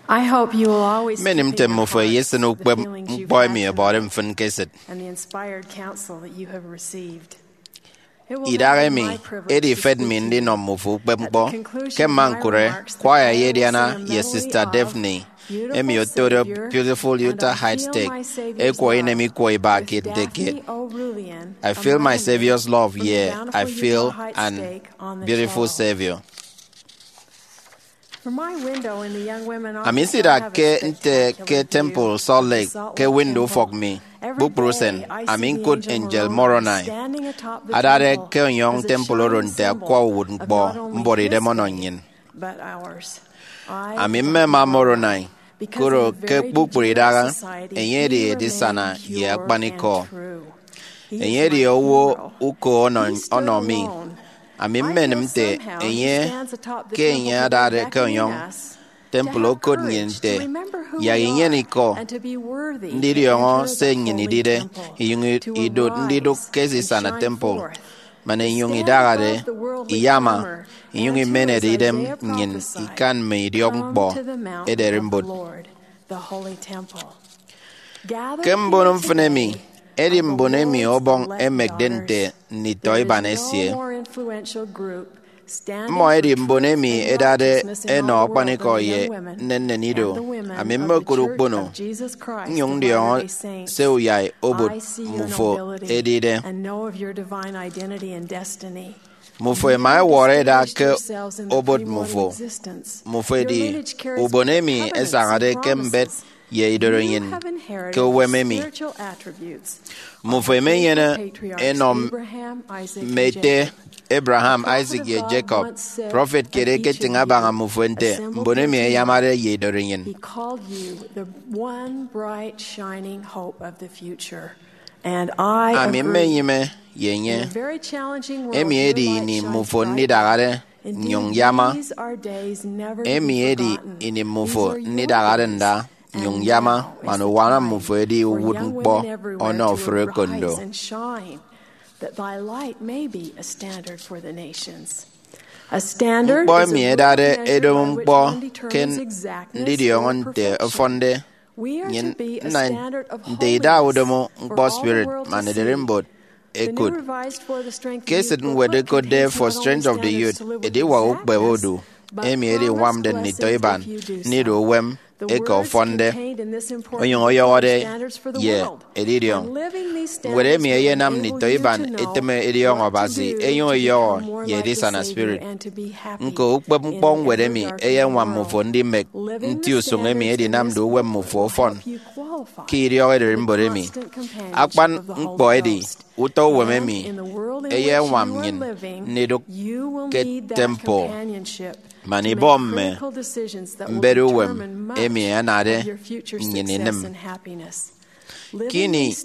Mmenim nte mmufo eyesịn ukpep ñkpọ emi ẹbọde mfịn ke esịt. Idaha emi edi ifet mi ndinọ mmufo ukpep ñkpọ. Ke mma ñkụre, kwaya ye ediana ye Sista Daphne, emi otode Beautiful Utah Heights Stake, ẹkwọ inem ikwọ iba kiet nte kiet, "I Feel My Savior's Love" ye "I Feel an Beautiful Savior." Ami nsidakke nte ke Temple Salt Lake ke window ufọk mi. Kpukpru usen, ami ñkụt angel Moroni adade ke ọnyọñ temple oro nte akwa uwụtñkpọ mbuọtidem ọnọ nnyịn. Ami mmema Moroni, koro ke kpukpru idaha, enye edi edisana ye akpanikọ. Enye edi owo uko ọnọ, ọnọ mi. Ami mmenem nte enye, ke enye adade ke ọnyọñ temple, okot nnyịn nte yak inyene ikọ ndidiọñọ se nnyịn idide, inyụñ idot ndidụk ke edisana temple, man inyụñ idahade iyama, inyụñ imenede idem nnyịn ikan mme idiọkñkpọ ederimbot. Ke mbono mfịn emi, edi mbon emi Ọbọñ emekde nte nditọiban esie. Mmọ edi mbon emi ẹdade ẹnọ akpanikọ ye nnennen ido. Ami mmokụt ukpono nnyụñ ndiọñọ se uyai obot mmufo edide. Mmufo ẹma ẹwọrọ ẹda ke obot mmufo. Mmufo ẹdi ubon emi ẹsañade ke mbet ye idorenyin ke uwem emi. Mmufo ẹmenyene enọ mme ete Abraham, Isaac, ye Jacob. Prọfet kiet eketịñ abaña mmufo nte mbon emi ẹyamade ye idorenyin. He called you the one bright shining hope of the future. And I Ami agree. Mmenyịme ye enye. In a very challenging world, Emi edi your ini light shines mmufo brightly. Ndidahade In nnyụñ deed, yama. These are days never to be Emi edi forgotten. Ini mmufo These are your ndidahade days. Nda And nnyụñ now yama, is man the uwana time mmufo edi for young women everywhere ọnọ to ofụri arise ekondo. And shine, that thy light may be a standard for the nations. A standard Ñkpọ is a emi broken edade measure edomo by which ñkpọ one ke determines exactness ndidiọñọ or nte perfection. Ọfọnde. We are Nyin to be a nna standard of nte holiness ida udomo for ñkpọ all the spirit world to man see. Ederimbot The New ekut. Revised for the Strength of Ke Youth esịt ñwed booklet ekotde contains For not only Strength of the standards Youth, to live with ediwak ukpep exactness, odu, but emi promised ediñwamde blessings nditọiban, if you do so. Ndidu uwem The eke words ọfọnde, contained in this important onyụñ book are ọyọhọde standards for the ye world. Edidiọñ. And living these Ñwed standards emi will eyenam enable you nditọiban to know eteme ediọñọ what to Abasi, do enyụñ to eyọhọ become more ye like the edisana Savior spirit. And to be happy Ñko ukpep ñkpọ in ñwed every emi dark eyeñwam mme world. Ufo ndimek Living the nti usụñ emi standards in edinamde this uwem mme booklet ufo will ọfọn help you qualify ke idiọk ererimbot emi. Akpan ñkpọ edi utọ uwem emi eyeñwam nnyịn ndidụk ke temple man ibọ mme mbet uwem emi anade nnyịn inịm. Kini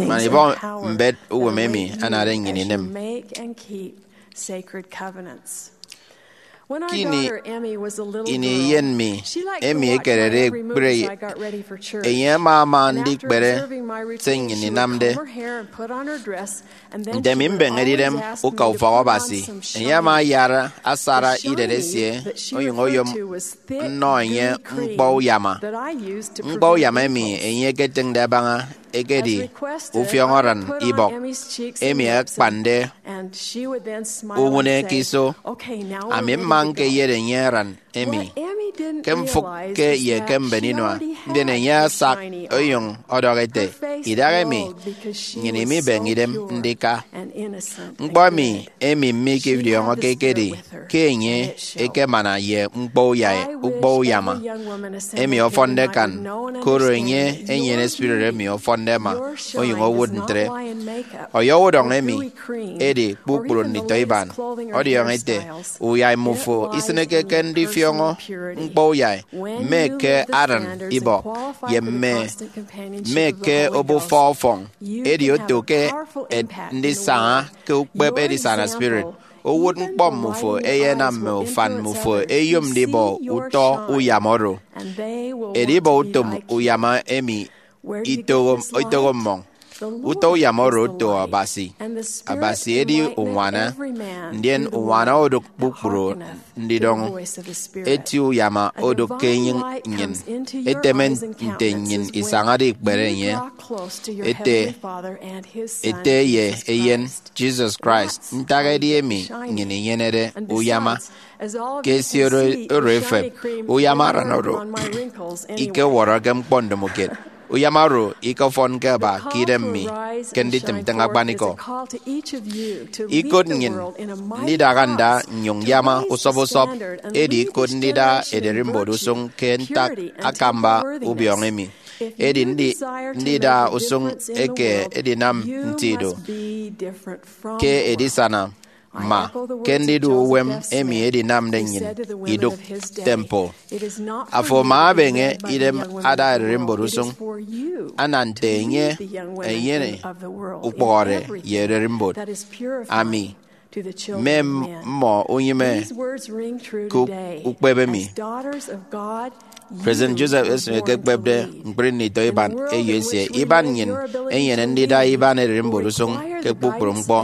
man ibọ mbet uwem emi anade nnyịn inịm. Kini ini eyen mi emi ekerede ekpri, enye ama ama ndikpere se nnyịn inamde. Nte mi mbeñede idem uka ufọk Abasi, enye ama ayara asara idet esie, onyụñ oyom nnọ enye ñkpọ uyama. Ñkpọ uyama emi enye eketịñde abaña ekedi ufiọñ aran ibọk emi akpande uñwụne ke iso. Ami mma ñkeyet enye aran emi ke mfụk ke ye ke mben inua, ndien enye asak onyụñ ọdọhọ ete, "Idahaemi nnyịn imibeñe idem ndika." Ñkpọ emi emi mme ikidiọñọke ekedi ke enye ekemana ye ñkpọ uyai, ñkpọ uyama emi ọfọnde akan, koro enye enyene spirit emi ọfọnde ẹma, onyụñ owụt ntre. Ọyọhọ udọñ emi edi kpukpru nditọ iban. Ọdiọñọ ete, uyai mmufo isịneke ke ndifiọñọ ñkpọ uyai, mme ke aran ibọk, ye mme, mme ke obufa ọfọñ. Edi oto ke et-, ndisaña ke ukpep edisana spirit. Owụt ñkpọ mmufo eyenam mme ufan mmufo eyom ndibọ utọ uyama oro. Edibọ utom uyama emi itoho, itoho mmọñ. Utọ uyama oro oto Abasi. Abasi edi uñwana, ndien uñwana odụk kpukpru ndidọñ. Eti uyama odụk ke enyịñ nnyịn, eteme nte nnyịn isañade ikpere enye, ete, ete ye Eyen, Jesus Christ. Ntak edi emi nnyịn inyenede uyama. Ke esie oro, oro efep, uyama aran oro ikewọrọke ñkpọ ndomokiet. Uyama oro ikefọnke aba ke idem mi ke nditịm ntịñ akpanikọ. Ikot nnyịn ndidaha nda nnyụñ yama usọp usọp, edi ikot ndida ererimbot usụñ ke ntak akamba ubiọñọ emi. Edi ndi-, ndida usụñ eke edinam nti do ke edisana, ma ke ndidu uwem emi edinamde nnyịn idụk temple. Afo ama abeñe idem ada ererimbot usụñ, ana nte enye enyene ukpọhọde ye ererimbot. Ami mme mmọ unyịme ke ukpep emi. President Joseph Smith ekekpepde ñkpri nditọ iban eyo esie. Iban nnyịn enyene ndida iban ererimbot usụñ ke kpukpru ñkpọ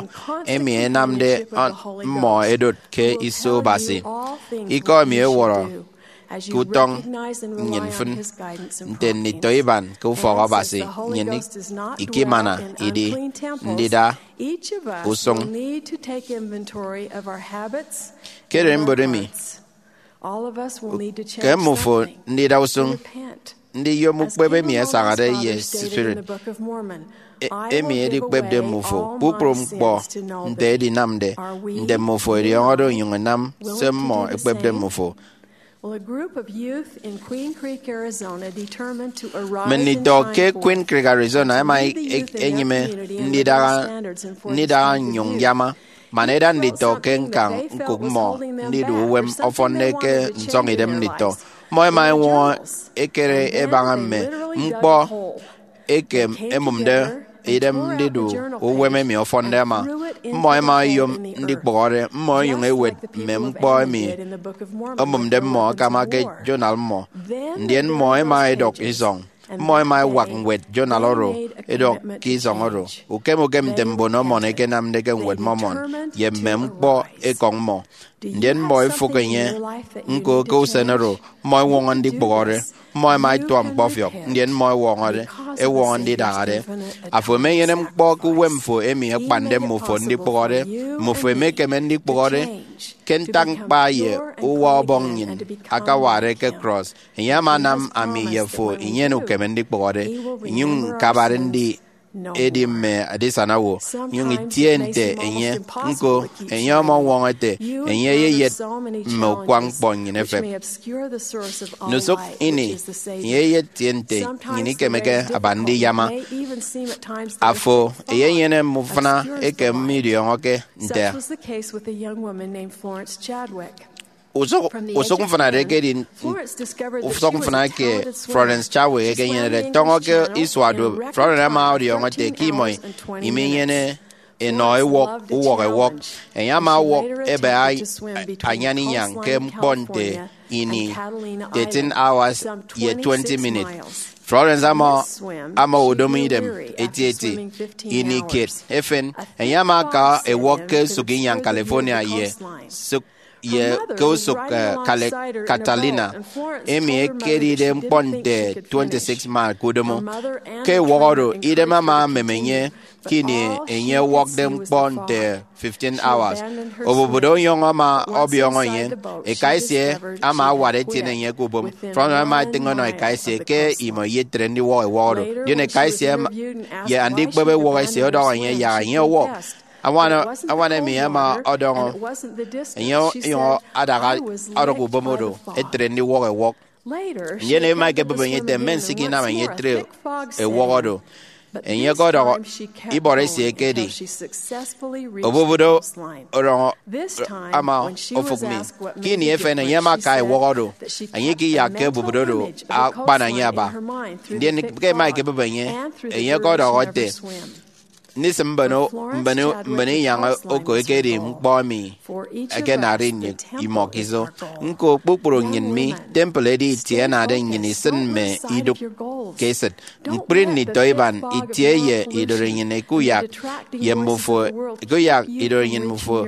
emi ẹnamde mmọ ẹdot ke iso Abasi. Ikọ emi ewọrọ ke utọñ nnyịn mfịn nte nditọ iban ke ufọk Abasi. Nnyịn ikimana idi ndida usụñ. Ke ererimbot emi, ke mmufo ndida usụñ, ndiyom ukpep emi asañade ye spirit, e-, emi edikpepde mmufo kpukpru ñkpọ nte edinamde, nte mmufo ediọñọde onyụñ ẹnam se mmọ ẹkpepde mmufo. Mme nditọ ke Queen Creek, Arizona ẹma e-, e-, enyịme ndidaha, ndidaha nnyụñ yama. Man eda nditọ ke ñkañ ñkụk mmọ ndidu uwem ọfọnde ke nsọñidem nditọ, mmọ ẹma ẹñwọñọ ẹkere ẹbaña mme ñkpọ eke ẹmụmde idem ndidu uwem emi ọfọnde ama. Mmọ ẹma ẹyom ndikpụhọre, mmọ ẹnyụñ ẹwet mme ñkpọ emi omụmde mmọ akama ke journal mmọ. Ndien mmọ ẹma ẹdọk isọñ. Mmọ ẹma ẹwak ñwed journal oro ẹdọk ke isọñ oro, ukem ukem nte mbon Mormon ẹkenamde ke Ñwed Mormon, ye mme ñkpọ ekọñ mmọ. Ndien mmọ ẹfụk enye. Ñko, ke usen oro, mmọ ẹñwọñọ ndikpụhọre. Mmọ ẹma ẹtuak ñkpọfiọk, ndien mmọ ẹwọñọde, ẹwọñọ ndidahade. Afo emenyene ñkpọ ke uwem fo emi akpande mmufo ndikpụhọre. Mmufo emekeme ndikpụhọre ke ntak ñkpa ye uwa Ọbọñ nnyịn akawade ke krọs. Enye ama anam ami ye fo inyene ukeme ndikpụhọde, inyụñ ñkabade ndi edi mme adisana owo, nyụñ itie nte enye. Ñko, enye ọmọñwọñọ ete enye eyeyet mme ukwañ ñkpọ nnyịn efep. Ndusụk ini, enye eyetie nte nnyịn ikemeke aba ndiyama. Afo eyenyene mme ufụna eke midiọñọke nte. Usụk, usụk mfịna eke edi usụk mfịna ke Florence Chadwick ekenyenede tọñọ ke isua duop. Florence ama ọdiọñọ ete ke imọ iminyene enọ ewọk, uwọk ewọk. Enye ama ọwọk ebe a-, anyan inyañ ke ñkpọ nte ini thirteen hours ye twenty minutes. Florence ama, ama odomo idem etieti ini kiet efen. Enye ama aka ewọk ke esụk inyañ California ye sụk ye ke usụk, eh, Cali-, Catalina, emi ekedide ñkpọ nte twenty-six mile ke udomo. Ke ewọk oro, idem ama emem enye ke ini enye ewọkde ñkpọ nte fifteen hours. Obubudo onyụñ ama ọbiọñọ enye. Eka esie ama awat etiene enye ke ubom. Florence ama etịñ ọnọ eka esie ke imọ iyetre ndiwọk ewọk oro. Ndien eka esie ama, ye andikpep ewọk esie ọdọhọ enye yak enye ọwọk. Añwan, añwan emi ama ọdọñọ enye onyụñ adaha ọdụk ubom oro etre ndiwọk ewọk. Ndien ema ekebụp enye ete mme nsịk inam enye etre ewọk oro. Enye ọkọdọhọ ibọrọ esie ekedi, obubudo ọdọñọ ama ofụk mi. Ke ini efen enye ama aka ewọk oro, enye ikiyakke obubudo oro akpana enye aba. Ndien ke ema ekebụp enye, enye ọkọdọhọ ete, ndisịm mbon, mbon, mbon inyañ oko ekedi ñkpọ emi ẹkenade nnyịn imọ ke iso. Ñko, kpukpru nnyịn mi, temple edi itie ẹnade nnyịn isịn mme idụk. ke esịt. Ñkpri nditọ iban itie ye idorenyin ekuyak ye mmufo, ekuyak idorenyin mmufo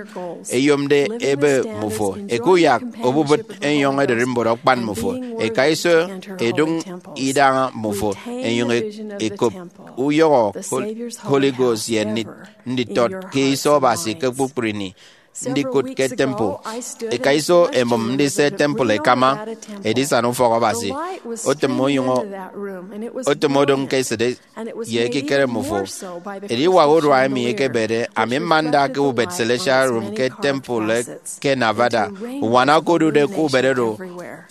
eyomde ebe mmufo, ekuyak obubịt enyọñ ererimbot akpan mmufo, eka iso eduñ idaña mmufo, enyuñ e-, ekop uyọhọ Hol-, Holy Ghost ye ndi-, nditọt ke iso Abasi ke kpukpru ini, ndikụt ke temple. Eka iso emụm ndise temple ekama edisana ufọk Abasi. Otịm onyụñ o-, otịm odụñ ke esịt ye ekikere mmufo. Ediwak urua emi ekebede, ami mma nda ke ubet Celestial Room ke temple ke Nevada. Uñwana okodude ke ubet oro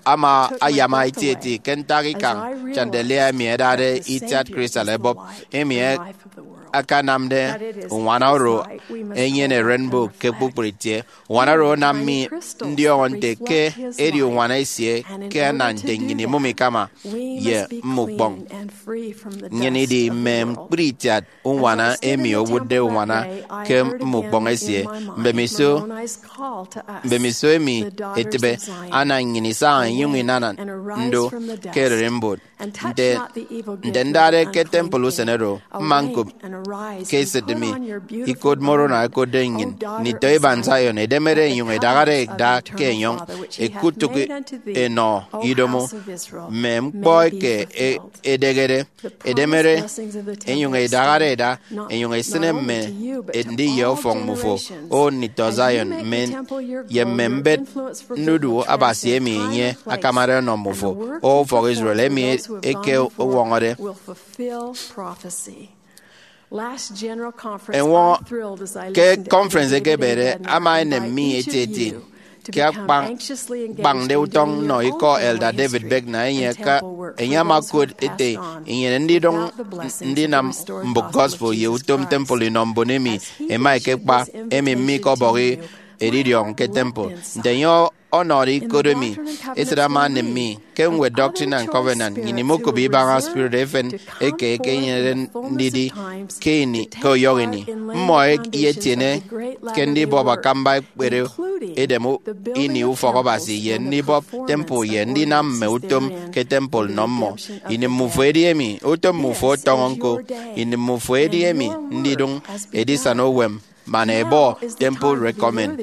ama ayama etieti ke ntak ikañ chandelier emi ẹdade itiat crystal ẹbọp, emi e-, akanamde uñwana oro enyene rainbow ke kpukpru itie. Uñwana oro anam mi ndiọñọ nte ke edi uñwana esie ke ana nte nnyịn imụm ikama ye mme ukpọñ. Nnyịn idi mme ñkpri itiat uñwana emi owụtde uñwana ke mme ukpọñ esie. Mbemiso, mbemiso emi etịbe, ana nnyịn isaña inyụñ inana ndo ke ererimbot. Nte, nte ndade ke temple usen oro, mma ñkop ke esịt mi ikot Moroni ẹkotde nnyịn, nditọ iban Zion, edemede enyụñ edahade eda ke enyọñ, ekutụk enọ idomo mme ñkpọ eke e-, edehede, edemede enyụñ edahade eda, enyụñ esịne mme ndiye ọfọñ mmufo, O nditọ Zion, mme, ye mme mbet ndudu Abasi emi enye akamade ọnọ mmufo, O ufọk Israel, emi eke owọñọde. Enye ke conference ekebede ama enem mi etieti ke akpañ-, kpañde utọñ nnọ ikọ Elder David Bednar. Enye ka, enye ama okot ete, inyene ndidụñ ndinam mbụk gospel ye utom temple inọ mbon emi ẹma ẹkekpa, emi mme ikọbọhọ edidiọñ ke temple. Nte enye ọnọde ikot emi, esịt ama enem mi. Ke ñwed Doctrine and Covenant, nnyịn imokop ibaña spirit efen eke ekenyenede ndidi ke ini, ke uyọhọ ini. Mmọ iyetiene ke ndibọp akamba ekpere edem u-, ini ufọk Abasi ye ndibọp temple ye ndinam mme utom ke temple nnọ mmọ. Ini mmufo edi emi, utom mmufo ọtọñọ ñko. Ini mmufo edi emi ndidụñ edisana uwem man ẹbọ temple recommend.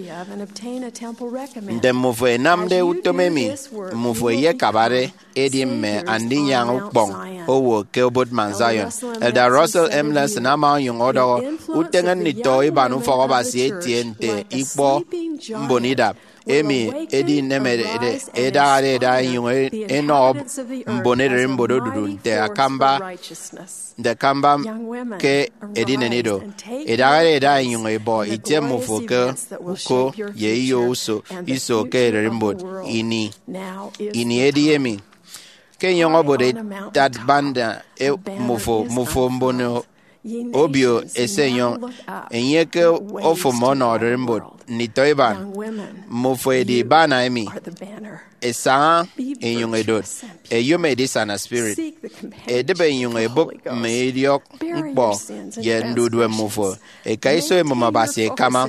Nte mmufo ẹnamde utom emi, mmufo ẹyekabade edi mme andinyaña ukpọñ owo ke obot Mount Zion. Elder Russell M. Nelson ama onyụñ ọdọhọ, uteñe nditọ iban ufọk Abasi etie nte ikpọ mbon idap emi edinemede edahade eda enyụñ enọ mbon ererimbot odudu nte akamba, nte akamba ke edinen ido. Edahade eda enyụñ ebọ itie mmufo ke uko ye iyo uso, iso ke ererimbot. Ini, ini edi emi. Ke enyọñ obot etat banda e-, mmufo, mmufo mbon obio esenyọñ, enye ke ofụm ọnọ ererimbot. Nditọ iban, mmufo edi bana emi. Esaña enyụñ edot, eyom edisana spirit, edịbe enyụñ ebụp mme idiọk ñkpọ ye ndudue mmufo. Eka iso emụm Abasi ekama,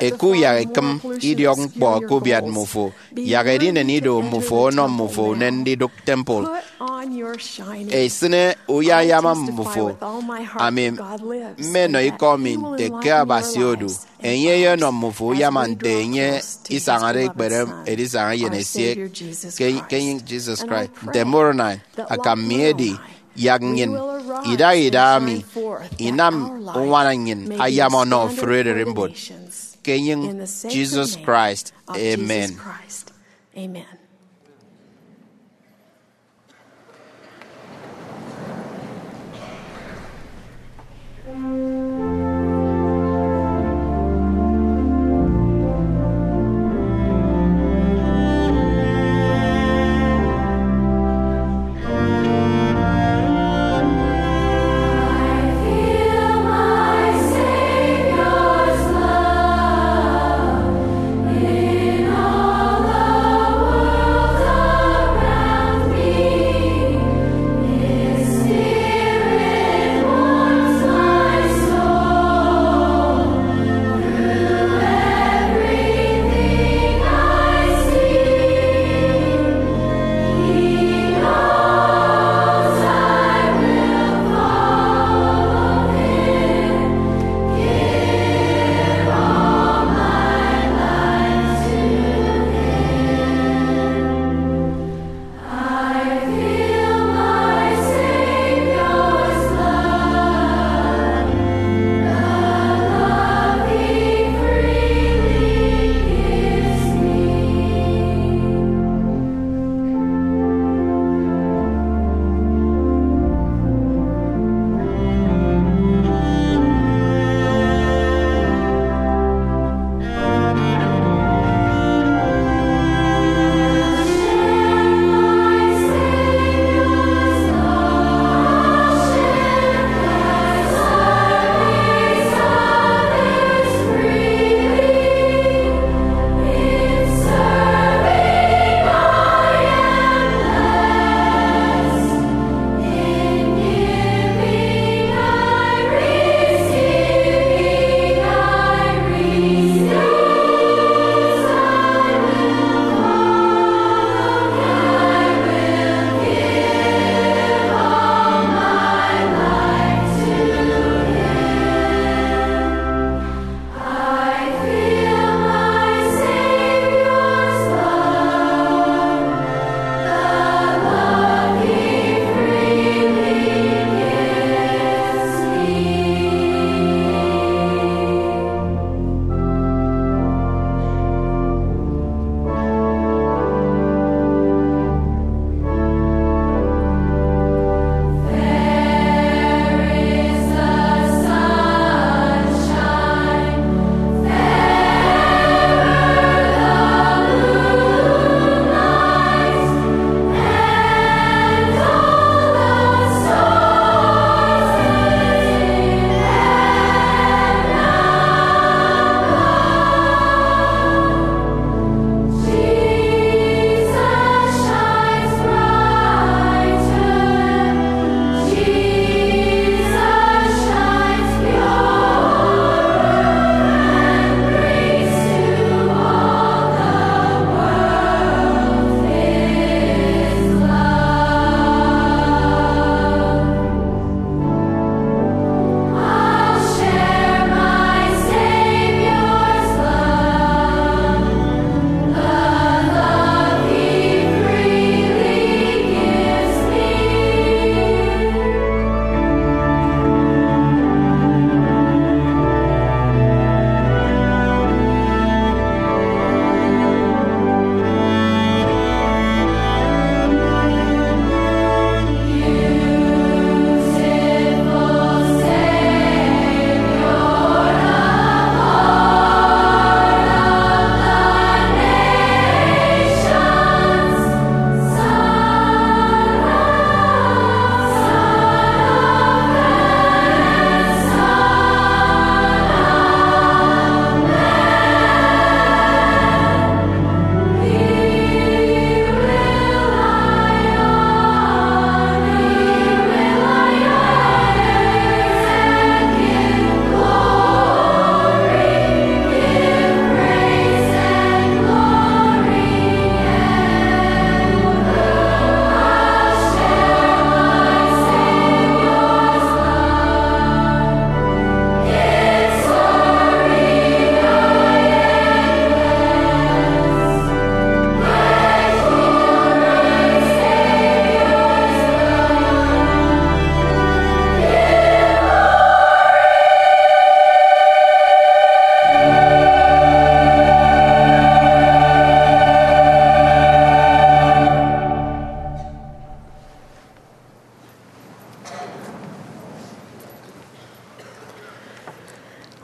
ekuyak ekịm idiọk ñkpọ ke ubiat mmufo, yak edinen ido mmufo ọnọ mmufo unen ndidụk temple. Esịne uyayama mmufo. Ami mmenọ ikọ mi nte ke Abasi odu. Enye eyenọ mmufo uyama nte enye isañade ikpere edisana eyen esie ke, ke enyịñ Jesus Christ. Nte Moroni, akam mi edi, yak nnyịn idaha idaha mi inam uñwana nnyịn ayama ọnọ ofụri ererimbot. Ke enyịñ Jesus Christ, amen.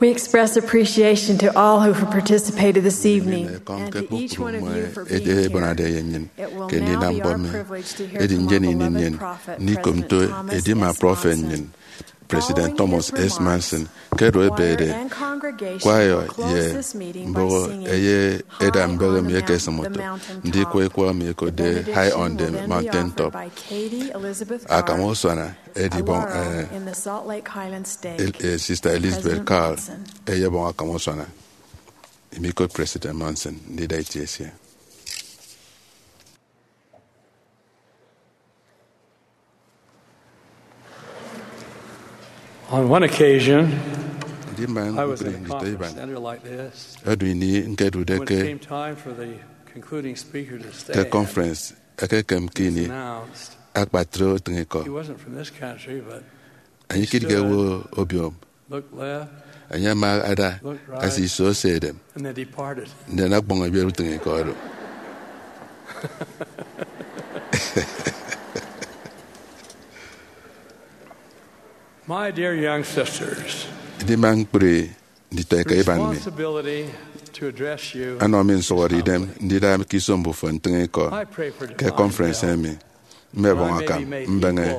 Express appreciation to all who have participated this evening, and to each one of you for being here. It will now be our privilege to hear from our beloved prophet, President Thomas S. Monson. Edi nnyịn ini nnyịn ndikom nto edima prọfet nnyịn, President Thomas S. Monson, ke edu ebede kwaya ye mbụghọ eye eda mbeghe mi ekesịm oto ndikwe ikọ emi ẹkotde High on the Mountain Top. Akam usuana edibọñ, eh, El-, eh, Sister Elizabeth Carl eyebọñ akam usuana. Imikot President Monson ndida itie esie. On one occasion, I was in a conference center like this. Edu ini ñkedude ke conference, ekekem ke ini akpatre utịñikọ. He wasn't from this country, but enye ikịt ke ewe obiom. Enye ama ada ase iso ose edem, ndien ọkpọñ ebiet utịñikọ oro. My dear young sisters, edima ñkpri nditọeka iban mi, anọ mi nsụhọde idem ndida ke iso mbufo ntịñ ikọ ke conference emi. Mmebọñ akam mbeñe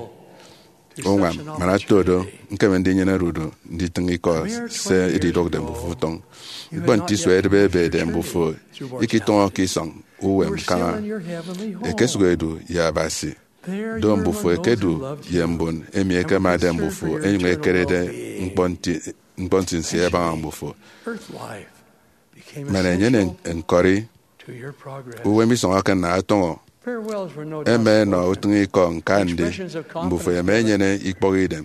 uñwam man ato do ñkeme ndinyene odudu nditịñ ikọ se edidụkde mbufo utọñ. Ñkpọ nte isua edịbe ebede mbufo ikitụñọ ke isọñ uwem kaña. Ekesụk edu ye Abasi. Do mbufo ẹkedu ye mbon emi ẹkemade mbufo ẹnyụñ ẹkerede ñkpọ nti-, ñkpọ nsinsi ẹbaña mbufo. Man enyene ñkọri, uwem isọñọke nna ọtọñọ. Ẹma ẹnọ utịñikọ ñka ndi mbufo ẹma ẹnyene ikpọk idem,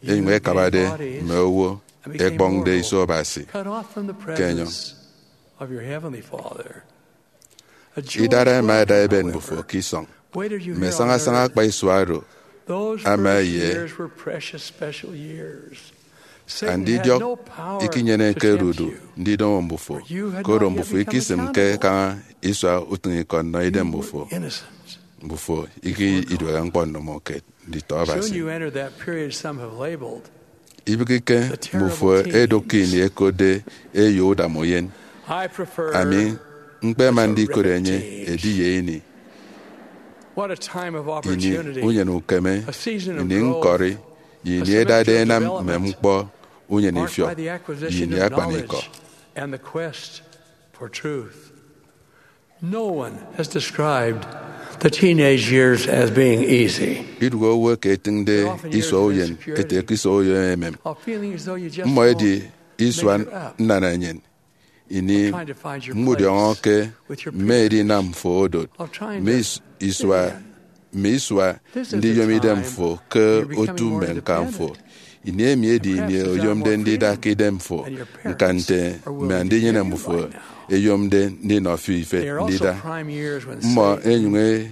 ẹnyụñ ẹkabade mme owo ẹkpọñde iso Abasi ke enyọñ. Idara ẹma ẹda ẹbet mbufo ke isọñ. Mme sañasaña akpa isua oro ama ye andidiọk ikinyeneke odudu ndidomo mbufo, koro mbufo ikisịmke kaña isua utịñikọ nnọ idem mbufo. Mbufo ikiduehe ñkpọ ndomokiet nditọ Abasi. Ibịghike mbufo edụk ke ini ẹkotde eyo udam uyen. Ami ñkpema ndikot enye edi ye ini. Ini uyen ukeme, ini ñkọkodu, ye ini ẹdade ẹnam mme ñkpọ unyenifiọk, ye ini akpanikọ. No one has described the teenage years as being easy. Idụhe owo eke etịñde isua uyen ete ke isua uyen emem. Mmọ edi isua nnanaenyịn, ini mmudiọñọke mme edinam fo odot, mme is-, isua, mme isua ndiyom idem fo ke otu mme ñkan fo. Ini emi edi ini oyomde ndida ke idem fo, ñka nte mme andinyene mbufo ẹyomde ndinọ fi ife ndida. Mmọ ẹnyụñ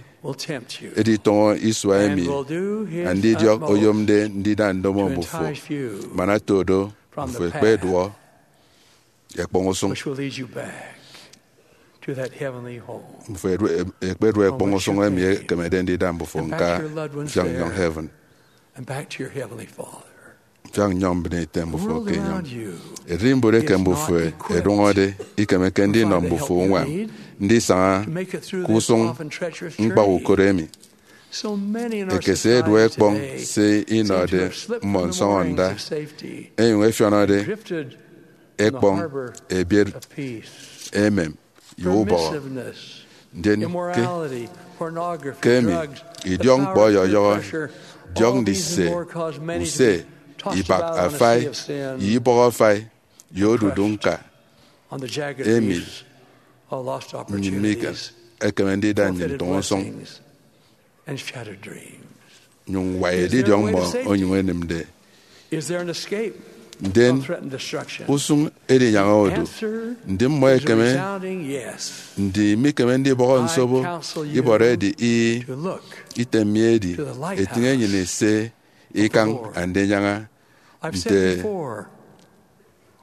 editọñọ isua emi andidiọk oyomde ndida ndomo mbufo, man ato do mbufo ẹkpeduọ ẹkpọñ usụñ. Mbufo ẹkpeduọ ẹkpọñ usụñ emi ẹkemede ndida mbufo ñka mfiọk nnyọñ heaven, mfiọk nnyọñ mbịne ete mbufo ke enyọñ. Ererimbot eke mbufo ẹdụñọde ikemeke ndinọ mbufo uñwam ndisaña ke usụñ ñkpọk ukot emi. Ekese ẹduọ ẹkpọñ se inọde mmọ nsọñọnda, ẹnyụñ ẹfiọnọde ẹkpọñ ebiet emem ye ubọhọ. Ndien ke, ke emi, idiọk ñkpọ ọyọyọhọ, diọk ndise use, ibak afai, ye ibọhọ afai, ye odudu ñka emi nnyịn mikekeme ndida nnyịn ntụñ usụñ. Nyụñ ñwai edidiọñ mmọ onyụñ enịmde. Ndien usụñ edinyaña odu. Ndi mmọ ẹkeme? Ndi mikeme ndibọhọ nsobo? Ibọrọ edi ih. Item mi edi, etịñ enyịn ese ikañ Andinyaña nte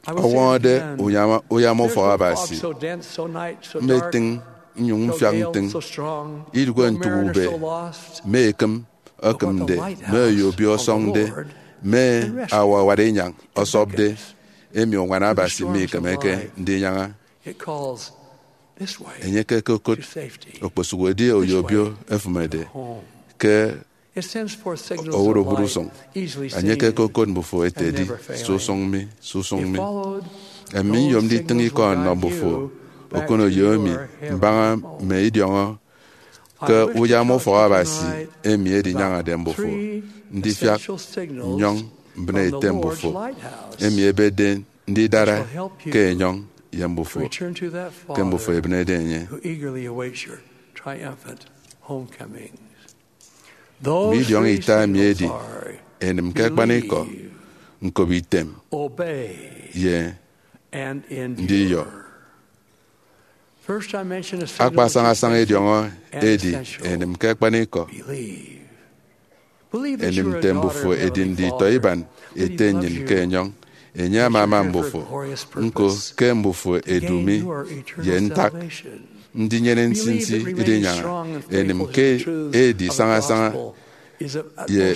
ọwọñọde uyama, uyama ufọk Abasi. Mmetịñ nnyụñ mfiak ntịñ idụhe ntụk ube, mme ekịm ẹkịmde, mme oyo obio ọsọñde, mme awawat inyañ ọsọpde, emi uñwana Abasi mikemeke ndinyaña. Enye ke okokot okposuk edi oyo obio efịmede ke owụt obụt usụñ. Enye ke okokot mbufo ete, edi, susụñ mi, susụñ mi. Emi nyom nditịñ ikọ nnọ mbufo okoneyo emi mbaña mme idiọñọ ke uyama ufọk Abasi emi edinyañade mbufo ndifiak nnyọñ mbịne ete mbufo emi ebede ndidara ke enyọñ ye mbufo ke mbufo ebịnede enye. Mme idiọñọ ita emi edi enịm ke akpanikọ, ñkop item, ye ndiyọ. Akpa sañasaña idiọñọ edi enịm ke akpanikọ. Enịm nte mbufo edi nditọ iban ete nnyịn ke enyọñ. Enye ama ama mbufo, ñko ke mbufo edu mi ye ntak ndinyene nsinsi idinyaña. Enịm ke edi sañasaña ye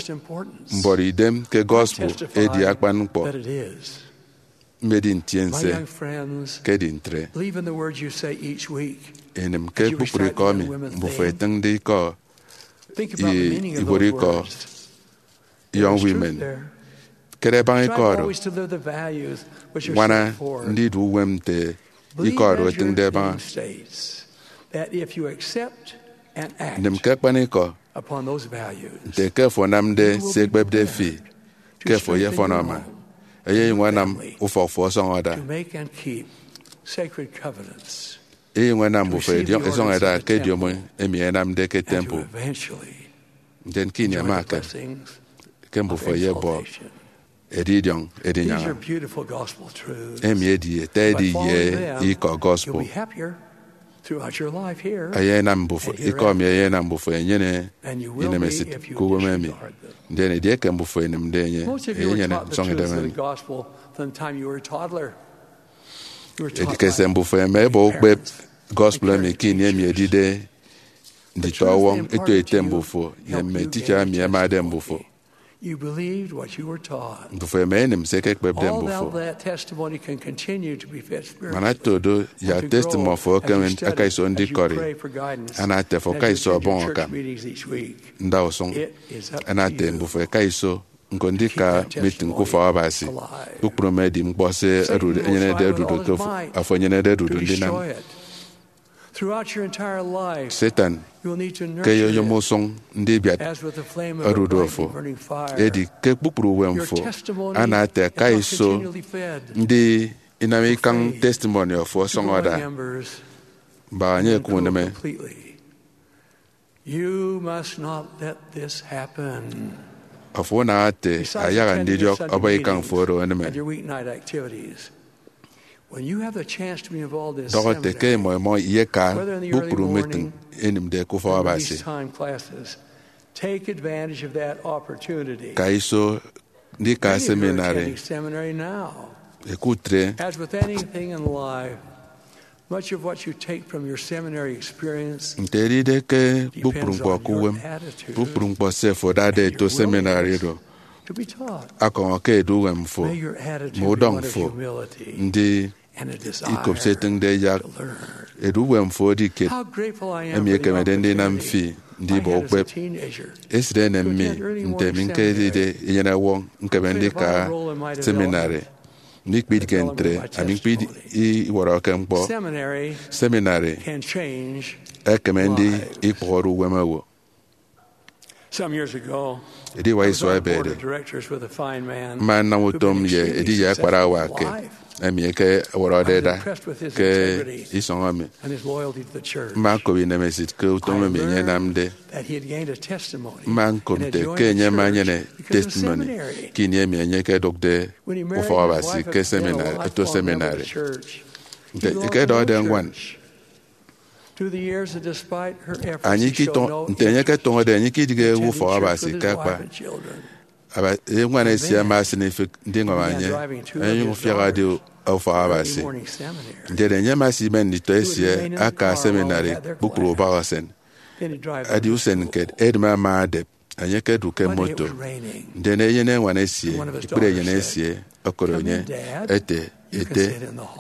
mbọrọ idem ke gospel edi akpan ñkpọ. Mmedi ntiense ke edi ntre. Enịm ke kpukpru ikọ emi mbufo etịñde ikọ ye ibuot ikọ Young Women. Kere baña ikọ oro. Ñwana ndidu uwem nte ikọ oro etịñde baña. Nịm ke akpanikọ nte ke afo anamde se ekpepde fi ke afo eyefọn ama, eyenyụñ anam ufọk fo ọsọñọ ada. Eyenyụñ anam mbufo ẹdiọñ ẹsọñ ẹda ke ediomi emi ẹnamde ke temple. Ndien ke ini ẹma ẹkeme ke mbufo ẹyebọ edidiọñ edinyaña. Emi edi ete edi ye ikọ gospel. Ẹyenam mbufo, ikọ emi ẹyenam mbufo ẹnyene inemesịt ke uwem emi. Ndien edieke mbufo ẹnịmde enye, ẹyenyene nsọñidem emi. Edi ke se mbufo ẹma ẹbọ ukpep gospel emi ke ini emi ẹdide nditọwọñ eto ete mbufo ye mme teacher emi ẹmade mbufo. Mbufo ẹma ẹnịm se ẹkekpepde mbufo. Man ata do, yak testimony fo ekeme aka iso ndikọri. Ana ete afo aka iso ọbọñ akam ndausụñ. Ana ete mbufo aka iso ñko ndika meeting ke ufọk Abasi. Kpukpru mme edi ñkpọ se ẹdude, ẹnyenede ẹdude ke afo enyenede ẹdude ndinam. Satan ke eyoyom usụñ ndibiat odudu fo. Edi ke kpukpru uwem fo, ana ete aka iso ndi inam ikañ testimony fo ọsọñọ ada. Mbak enye ke unịme. Afo unaha ete ayaha ndidiọk ọbọ ikañ fo oro enịme. Dọhọ ete ke imọ imọ iyeka kpukpru meeting ẹnịmde ke ufọk Abasi. Ka iso ndika seminary. Ẹkutre. Nte edide ke kpukpru ñkpọ ke uwem, kpukpru ñkpọ se fo adade eto seminary oro akọñọ ke edu uwem fo, mme udọñ fo, ndi ikop se etịñde yak edu uwem fo edi kiet emi ekemede ndinam fi ndibọ ukpep. Esịt enem mi nte mi ñkedide eyenọwọñ ñkeme ndika seminary. Mikpidịghe ntre, ami ñkpidi iwọrọke ñkpọ. Seminary ekeme ndi ikpụhọre uwem owo. Ediwak isua ebede, mma nnam utom ye ediye akparawa ke emi eke ọwọrọde ẹda ke isọñ emi. Mma ñkop inemesịt ke utom emi enye enamde. Mma ñkop nte ke enye ama enyene testimony ke ini emi enye ekedụkde ufọk Abasi ke seminary, eto seminary. Nte ekedọhọde ñwan, enye iketọñọ, nte enye eketọñọde, enye ikidịghe ufọk Abasi ke akpa. Aba-, eñwan esie ama esịn ifịk ndiñwam enye, enyụñ fiak edi ufọk Abasi. Ndien enye ama esimen nditọ esie aka seminary kpukpru ubọhọsen. Edi usen kiet edịm ama adep, enye ekedu ke moto. Ndien eyen eñwan esie, ikpri eyen esie, ọkọrọ enye, "Ete, ete,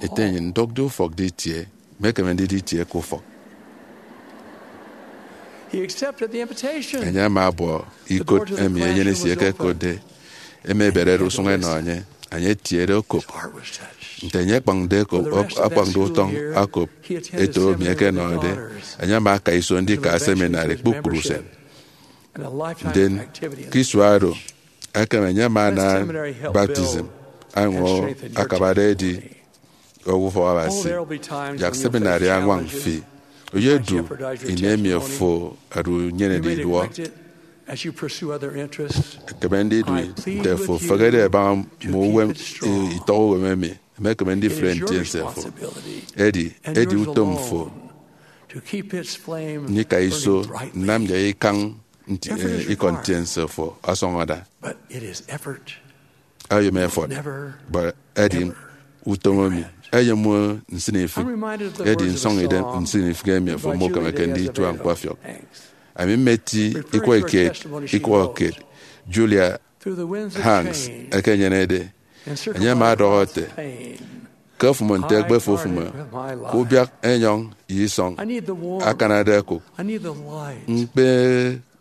ete, nnyịn ndụkde ufọk ditie, mekeme ndidi itie ke ufọk." Enye ama abuọ ikot emi enyin esie ekekotde, emi eberede usụñ enọ enye. Enye etiede okop. Nte enye akpañde okop, akpañde utọñ okop eto emi ẹkenọde, enye ama aka iso ndika seminary kpukpru usen. Ndien ke isua oro, ekem enye ama ana baptism, añwa akabade edi owo ufọk Abasi. Yak seminary añwañ fi. Oyedu ini emi ofo ada unyenede iduọ. Ekeme ndidu nte ofo ofehede ẹbaña mme uwem, itọk uwem emi emekeme ndifre ntiense fo. Edi, edi utom fo ndika iso nnam yak ikañ nti-, eh, ikọ ntiense fo ọsọñọ ada. Oyom efọt, but edi utom emi eyom nsịnifịk. Edi nsọñidem nsịnifịk emi ofo mukemeke nditua ñkpọfiọk. Ami mmeti ikwọ kiet, ikwọ kiet Julia Hanks ekenyenede. Enye ama ọdọhọ ete, "Ke ofụm nte ekpe fo ofụm, ke ubiak enyọñ ye isọñ akanade ẹkụk, ñkpe,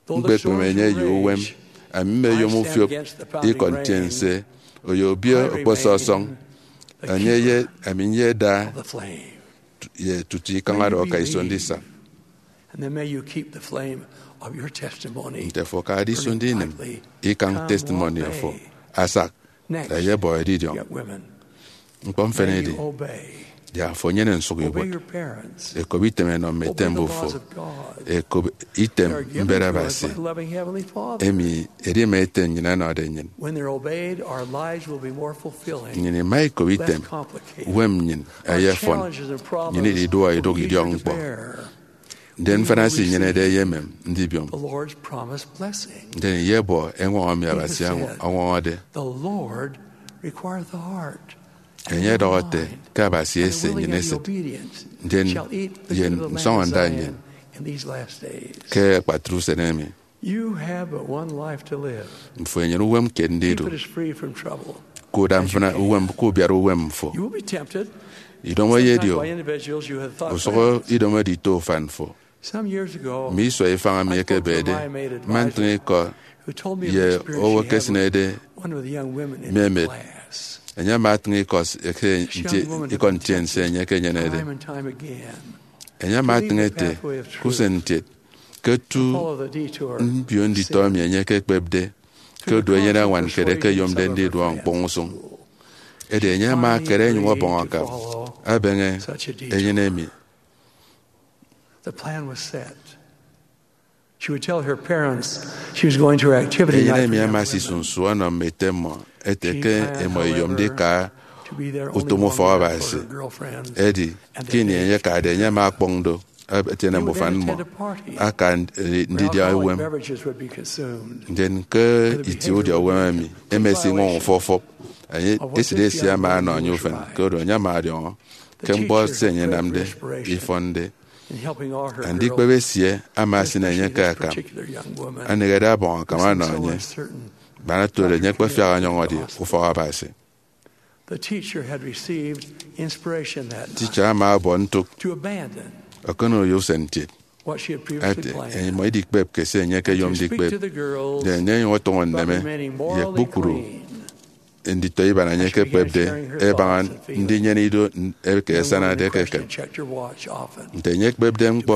ñkpekpeme enye ye uwem. Ami mmeyom ufiop ikọ ntiense, oyo obio okposọ ọsọñ, enye ye ami nyeda ye tutu ikañ oro aka iso ndisa." Nte fo akade iso ndinịm ikañ testimony fo asak, eyebọ edidiọñ. Ñkpọ mfịn edi, yak fo enyene nsụk ibuot. Ekop item enọ mme ete mbufo. Ekop item mbet Abasi, emi edima ete nnyịn ẹnọde nnyịn. Nnyịn ima ikop item, uwem nnyịn eyefọn, nnyịn ididuọ idụk idiọk ñkpọ. Ndien mfịna se inyenede eyemem ndibiom. Ndien iyebọ eñwọñọ emi Abasi ọñwọñọde. Enye ọdọhọ ete, "Ke Abasi ese nnyịn esịt, ndien ye nsọñọnda nnyịn ke akpatre usen emi." Mfo enyene uwem kiet ndidu. Kuda mfịna uwem ke ubiara uwem mfo. Idomo eyedio. Usụk idomo edito ufan fo. Mme isua ifañ emi ekebede, mma ntịñ ikọ ye owo ekesịnede mme emet. Enye ama atịñ ikọ s-, eke nti-, ikọ ntiense enye ekenyenede. Enye ama atịñ ete, ke usen ntiet, ke otu mbio nditọ emi enye ekekpepde, ke odu enyene añwan kiet eke eyomde ndiduọ ñkpọñ usụñ. Edi enye ama akere enyụñ ọbọñ akam ebeñe enyịn emi. Enyịn emi ama asisu nsu ọnọ mme ete mmọ ete ke imọ iyom ndika utom ufọk Abasi. Edi, ke ini enye akade, enye ama ọkpọñ do, etiene mbufa mmọ, aka ndidia uwem. Ndien ke itie udia uwem emi, emesiñwọñ ufọfọp, enye, esịt esie ama ọnọ enye ufen, koro enye ama ọdiọñọ ke ñkpọ se enye enamde ifọnde. Andikpep esie ama asịn enye ke akam. Anehede abọñ akam ọnọ enye. Bana otude, enye ekpefiak ọnyọñọde ufọk Abasi. Teacher ama ọbọ ntụk ọkọnọ ye usen ntiet. Ete, imọ idikpep ke se enye ekeyom ndikpep. Ndien enye enyụñ ọtụñọ nneme ye kpukpru nditọ iban enye ekekpepde ẹbaña ndinyene ido eke ẹsanade ke ekem. Nte enye ekpepde ñkpọ,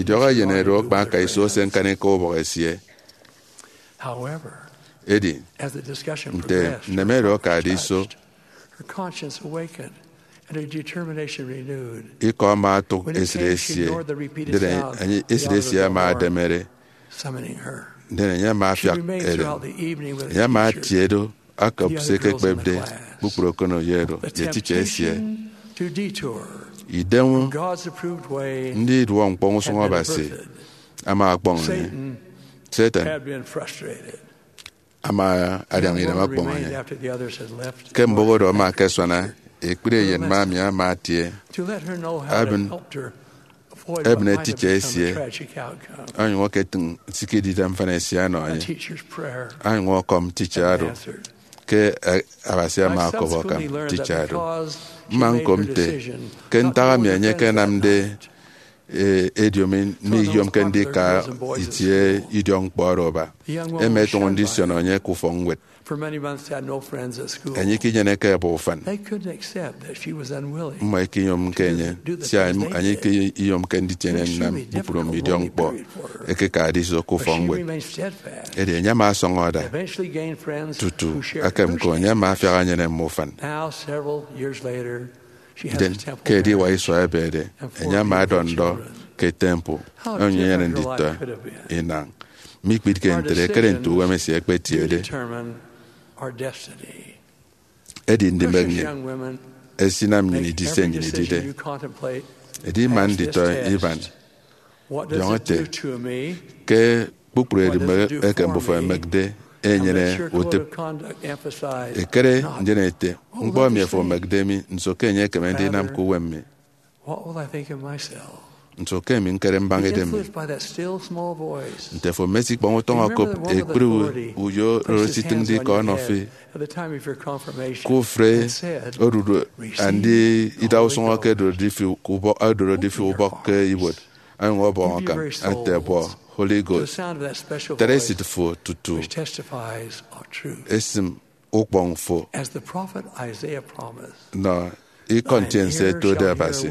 idiọk eyen oro akpa aka iso ose ñkanika ubọk esie. Edi, nte nneme oro akade iso, ikọ ama otụk esịt esie, ndien enye, esịt esie ama ademere, ndien enye ama afiak edem. Enye ama atie do akop se ekekpepde kpukpru okono ye oro ye teacher esie. Idem ndiduọ ñkpọñ usụñ Abasi ama ọkpọñ enye. Satan ama adiaña idem ọkpọñ enye. Ke mbụk oro ama akasuana, ekpri eyen mme ami ama atie, ebịne teacher esie, onyụñ oketịñ nsikidide mfịna esie ọnọ enye, onyụñ ọkọm teacher oro ke, eh, Abasi ama ọkọbọ akam. Teacher do. Mma ñko nte ke ntak emi enye ekenamde, eh, ediomi, miyomke ndika itie idiọk ñkpọ oro aba. Ema etụñọ ndisioño enye ke ufọkñwed. Enye ikinyeneke eba ufan. Mmọ ikiyomke enye, sia enye ikiyomke nditiene nnam kpukpru mme idiọk ñkpọ ekekade iso ke ufọkñwed. Edi enye ama asọñọ ada tutu akem ko, enye ama afiak enyene mme ufan. Ndien, ke ediwak isua ebede, enye ama ọdọ ndọ ke temple onyụñ enyene nditọ inañ. Mikpitke ntre, kere nte uwem esie ekpetiede. Edi ndimek nnyịn esinam nnyịn idi se nnyịn idide. Edi ima nditọ iban, diọñọ ete, ke kpukpru edimek eke mbufo ẹmekde enyene utịp. Ekere ndien ete, ñkpọ emi afo omekde mi, nso ke enye ekeme ndinam ke uwem mi? Nso ke emi ñkere mbaña idem mi? Nte afo mmesikpọñ utọñ okop ekpri uyo oro esitịñde ikọ ọnọ fi ke ufre odudu andi ida usụñ eke odorode fi ubọk ke ibuot, onyụñ ọbọñ akam ate, bọ Holy Ghost, tere esịt fo tutu esịm ukpọñ fo nọ ikọ ntiense ẹtode Abasi.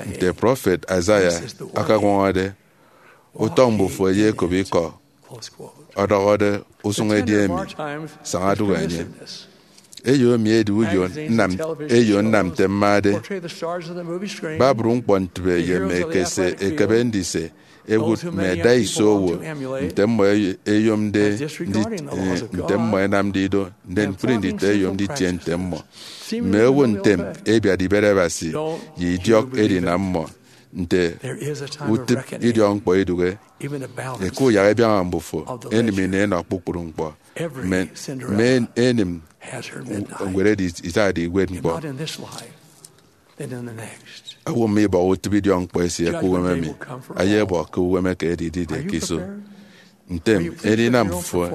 Nte prọfet Isaiah akañwañade, utọñ mbufo eyekop ikọ, ọdọhọde, usụñ edi emi, saña dụhe enye. Eyo emi edi uyo nnam, eyo nnam nte mmade. Babru ñkpọ ntịbe ye mme ekese ekebe ndise ewụt mme ẹda iso owo nte mmọ eyomde ndi-, eh, nte mmọ ẹnamde ido, ndien ñkpri nditọ ẹyom nditie nte mmọ. Mme owo ntem ẹbiat ibet Abasi ye idiọk edinam mmọ nte utịp idiọk ñkpọ idụhe. Eke uyak ẹbiaña mbufo, enịm ini ẹnọ kpukpru ñkpọ. Mme, mme enịm ñwed edi itade iwet ñkpọ. Owo mme ibọhọ utịp idiọk ñkpọ esie ke uwem emi, ayebọ ke uwem eke edidide ke iso. Ntem, edinam fo,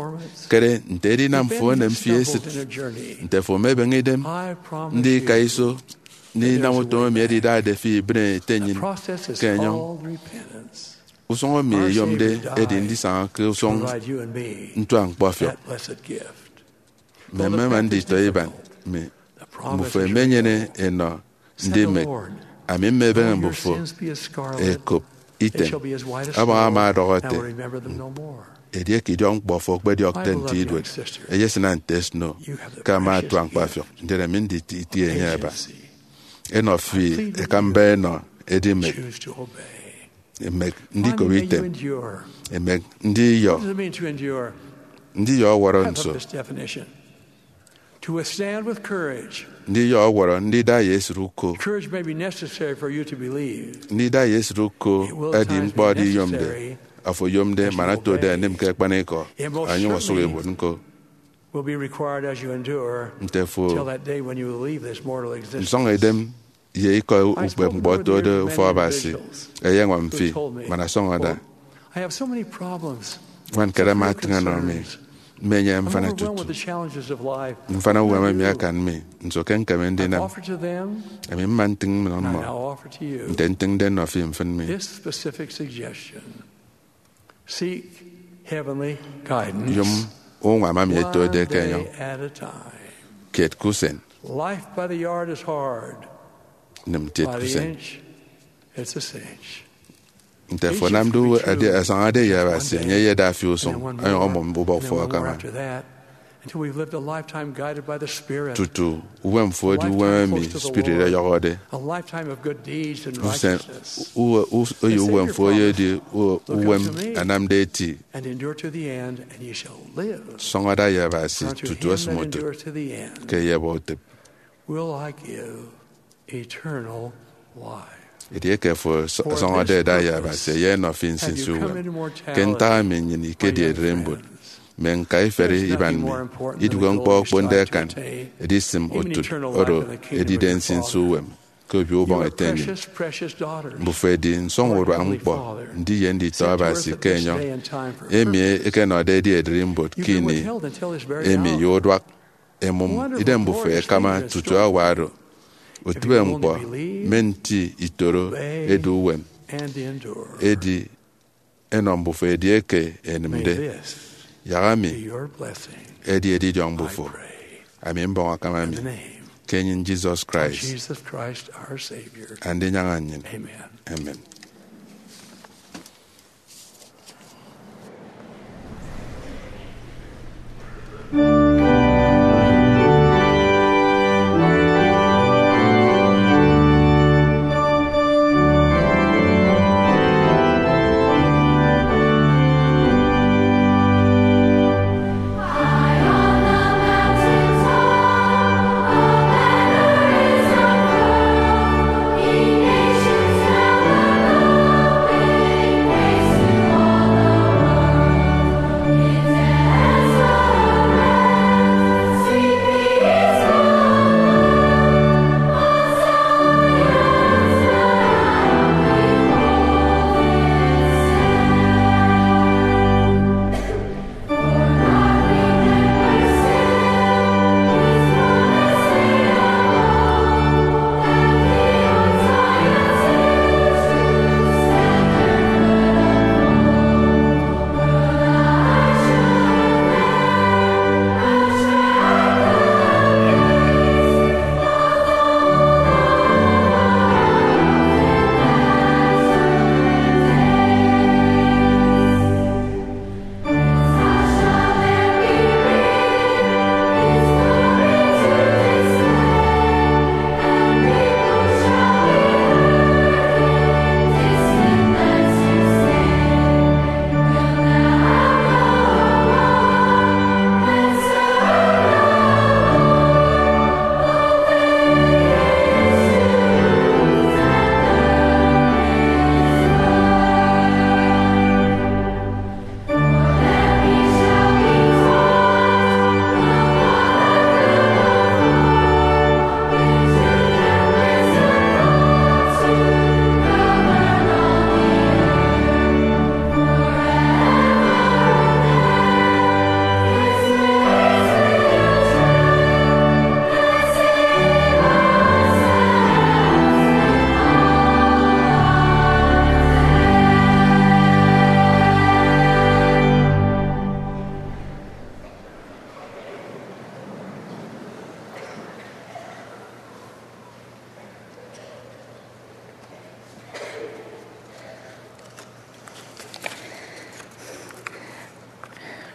kere nte edinam fo enem fi esịt, nte fo mebeñe idem ndika iso ndinam utom emi edidade fi ibịne ete nnyịn ke enyọñ. Usụñ emi eyomde edi ndisaña ke usụñ ntuañkpafiọk. Mme mmema nditọ iban mi, mbufo emenyene enọ ndimek. Ami mmebeñe mbufo ekop item. Abaña ama ọdọhọ ete, edieke idiọk ñkpọ fo okpediọkde nte iduot, eyesịna nte snow, ke ama atua ñkpafiọk, ndien ami nditie enye aba. Enọ fi ekamba enọ edimek. Emek ndikop item. Emek ndiyọ. Ndiyọ ọwọrọ nso? Ndiyọ ọwọrọ ndida ye esịt uko. Ndida ye esịt uko edi ñkpọ ediyomde. Afo oyomde man otode enịm ke akpanikọ, onyụñ osụk ibuot ñko. Nte fo nsọñ edem ye ikọ ukpepñkpọ otode ufọk Abasi eyeñwam fi man asọñọda. Ñwan kiet ama atịñ ọnọ mi, mmenyene mfana tutu. Mfana uwem emi akan mi, nso ke ñkeme ndinam? Ami mma ntịñ nnọ mmọ, nte ntịñde nnọ fi mfịn mi. Yom uñwam emi etode ke enyọñ. Kiet ke usen. Nịm ntiet ke usen. Nte afo anamde uwe edi asañade ye Abasi, enye eyeda fi usụñ, onyụñ ọmụm ubọk fo akama. Tutu uwem fo edi uwem emi spirit ọyọhọde. Usen uwe, us-, oyo uwem fo oyedi u-, uwem anamde eti. Sọñọda ye Abasi tutu esịm utịp, ke eyebọ utịp. Edieke fo sọ-, sọñọde eda ye Abasi, eyenọ fi nsinsi uwem. Ke ntak emi nnyịn ikedi ererimbot, mme ñkaiferi iban mi, idụhe ñkpọ okponde akan edisịm utịp oro edide nsinsi uwem ke Obio Ubọñ Ete nnyịn. Mbufo edi nsọñurua ñkpọ ndiye nditọ Abasi ke enyọñ, emi ẹkenọde ẹdi ererimbot ke ini emi ye uduak. Emụm idem mbufo ẹkama tutu hour oro. Utịbe ñkpọ mme nti itoro edu uwem, edi ẹnọ mbufo edieke ẹnịmde. Yak ami edi edidiọñ mbufo. Ami mbọñ akam ami ke enyịn Jesus Christ, Andinyaña nnyịn. Amen.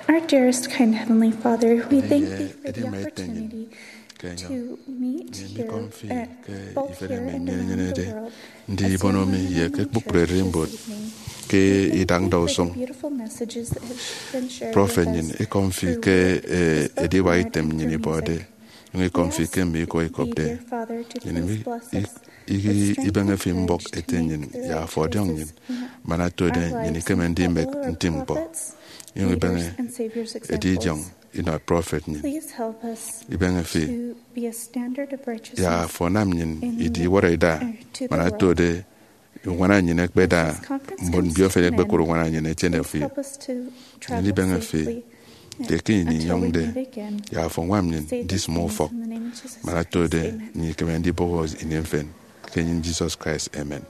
Our dearest, kind Heavenly Father, we thank thee for the opportunity to meet here, uh, both here and around the world, assembled in the name of Jesus this evening. Ndi ibono mi ye ke kpukpru ererimbot ke idak ndausụñ prọfet nnyịn, ikọm fi ke, eh, ediwak item nnyịn ibọde, nyụñ ikọm fi ke mme ikọ ikopde. Nnyịn ibeñe fi mbọk ete nnyịn, ya afo ọdiọñ nnyịn, man atode nnyịn ikeme ndimek nti ñkpọ, inyụñ ibeñe edidiọñ inọ prọfet nnyịn. Ibeñe fi, ya afo nam nnyịn idi iwọrọ ida, man atode uñwana nnyịn ekpeda mbon mbiofen ẹkpekụre uñwana nnyịn etiene fi. Nnyịn ibeñe fi ke ke ini inyọñde, ya afo ñwam nnyịn ndisịme ufọk, man atode nnyịn ikeme ndibọhọ ini mfịn, ke enyịn Jesus Christ, amen.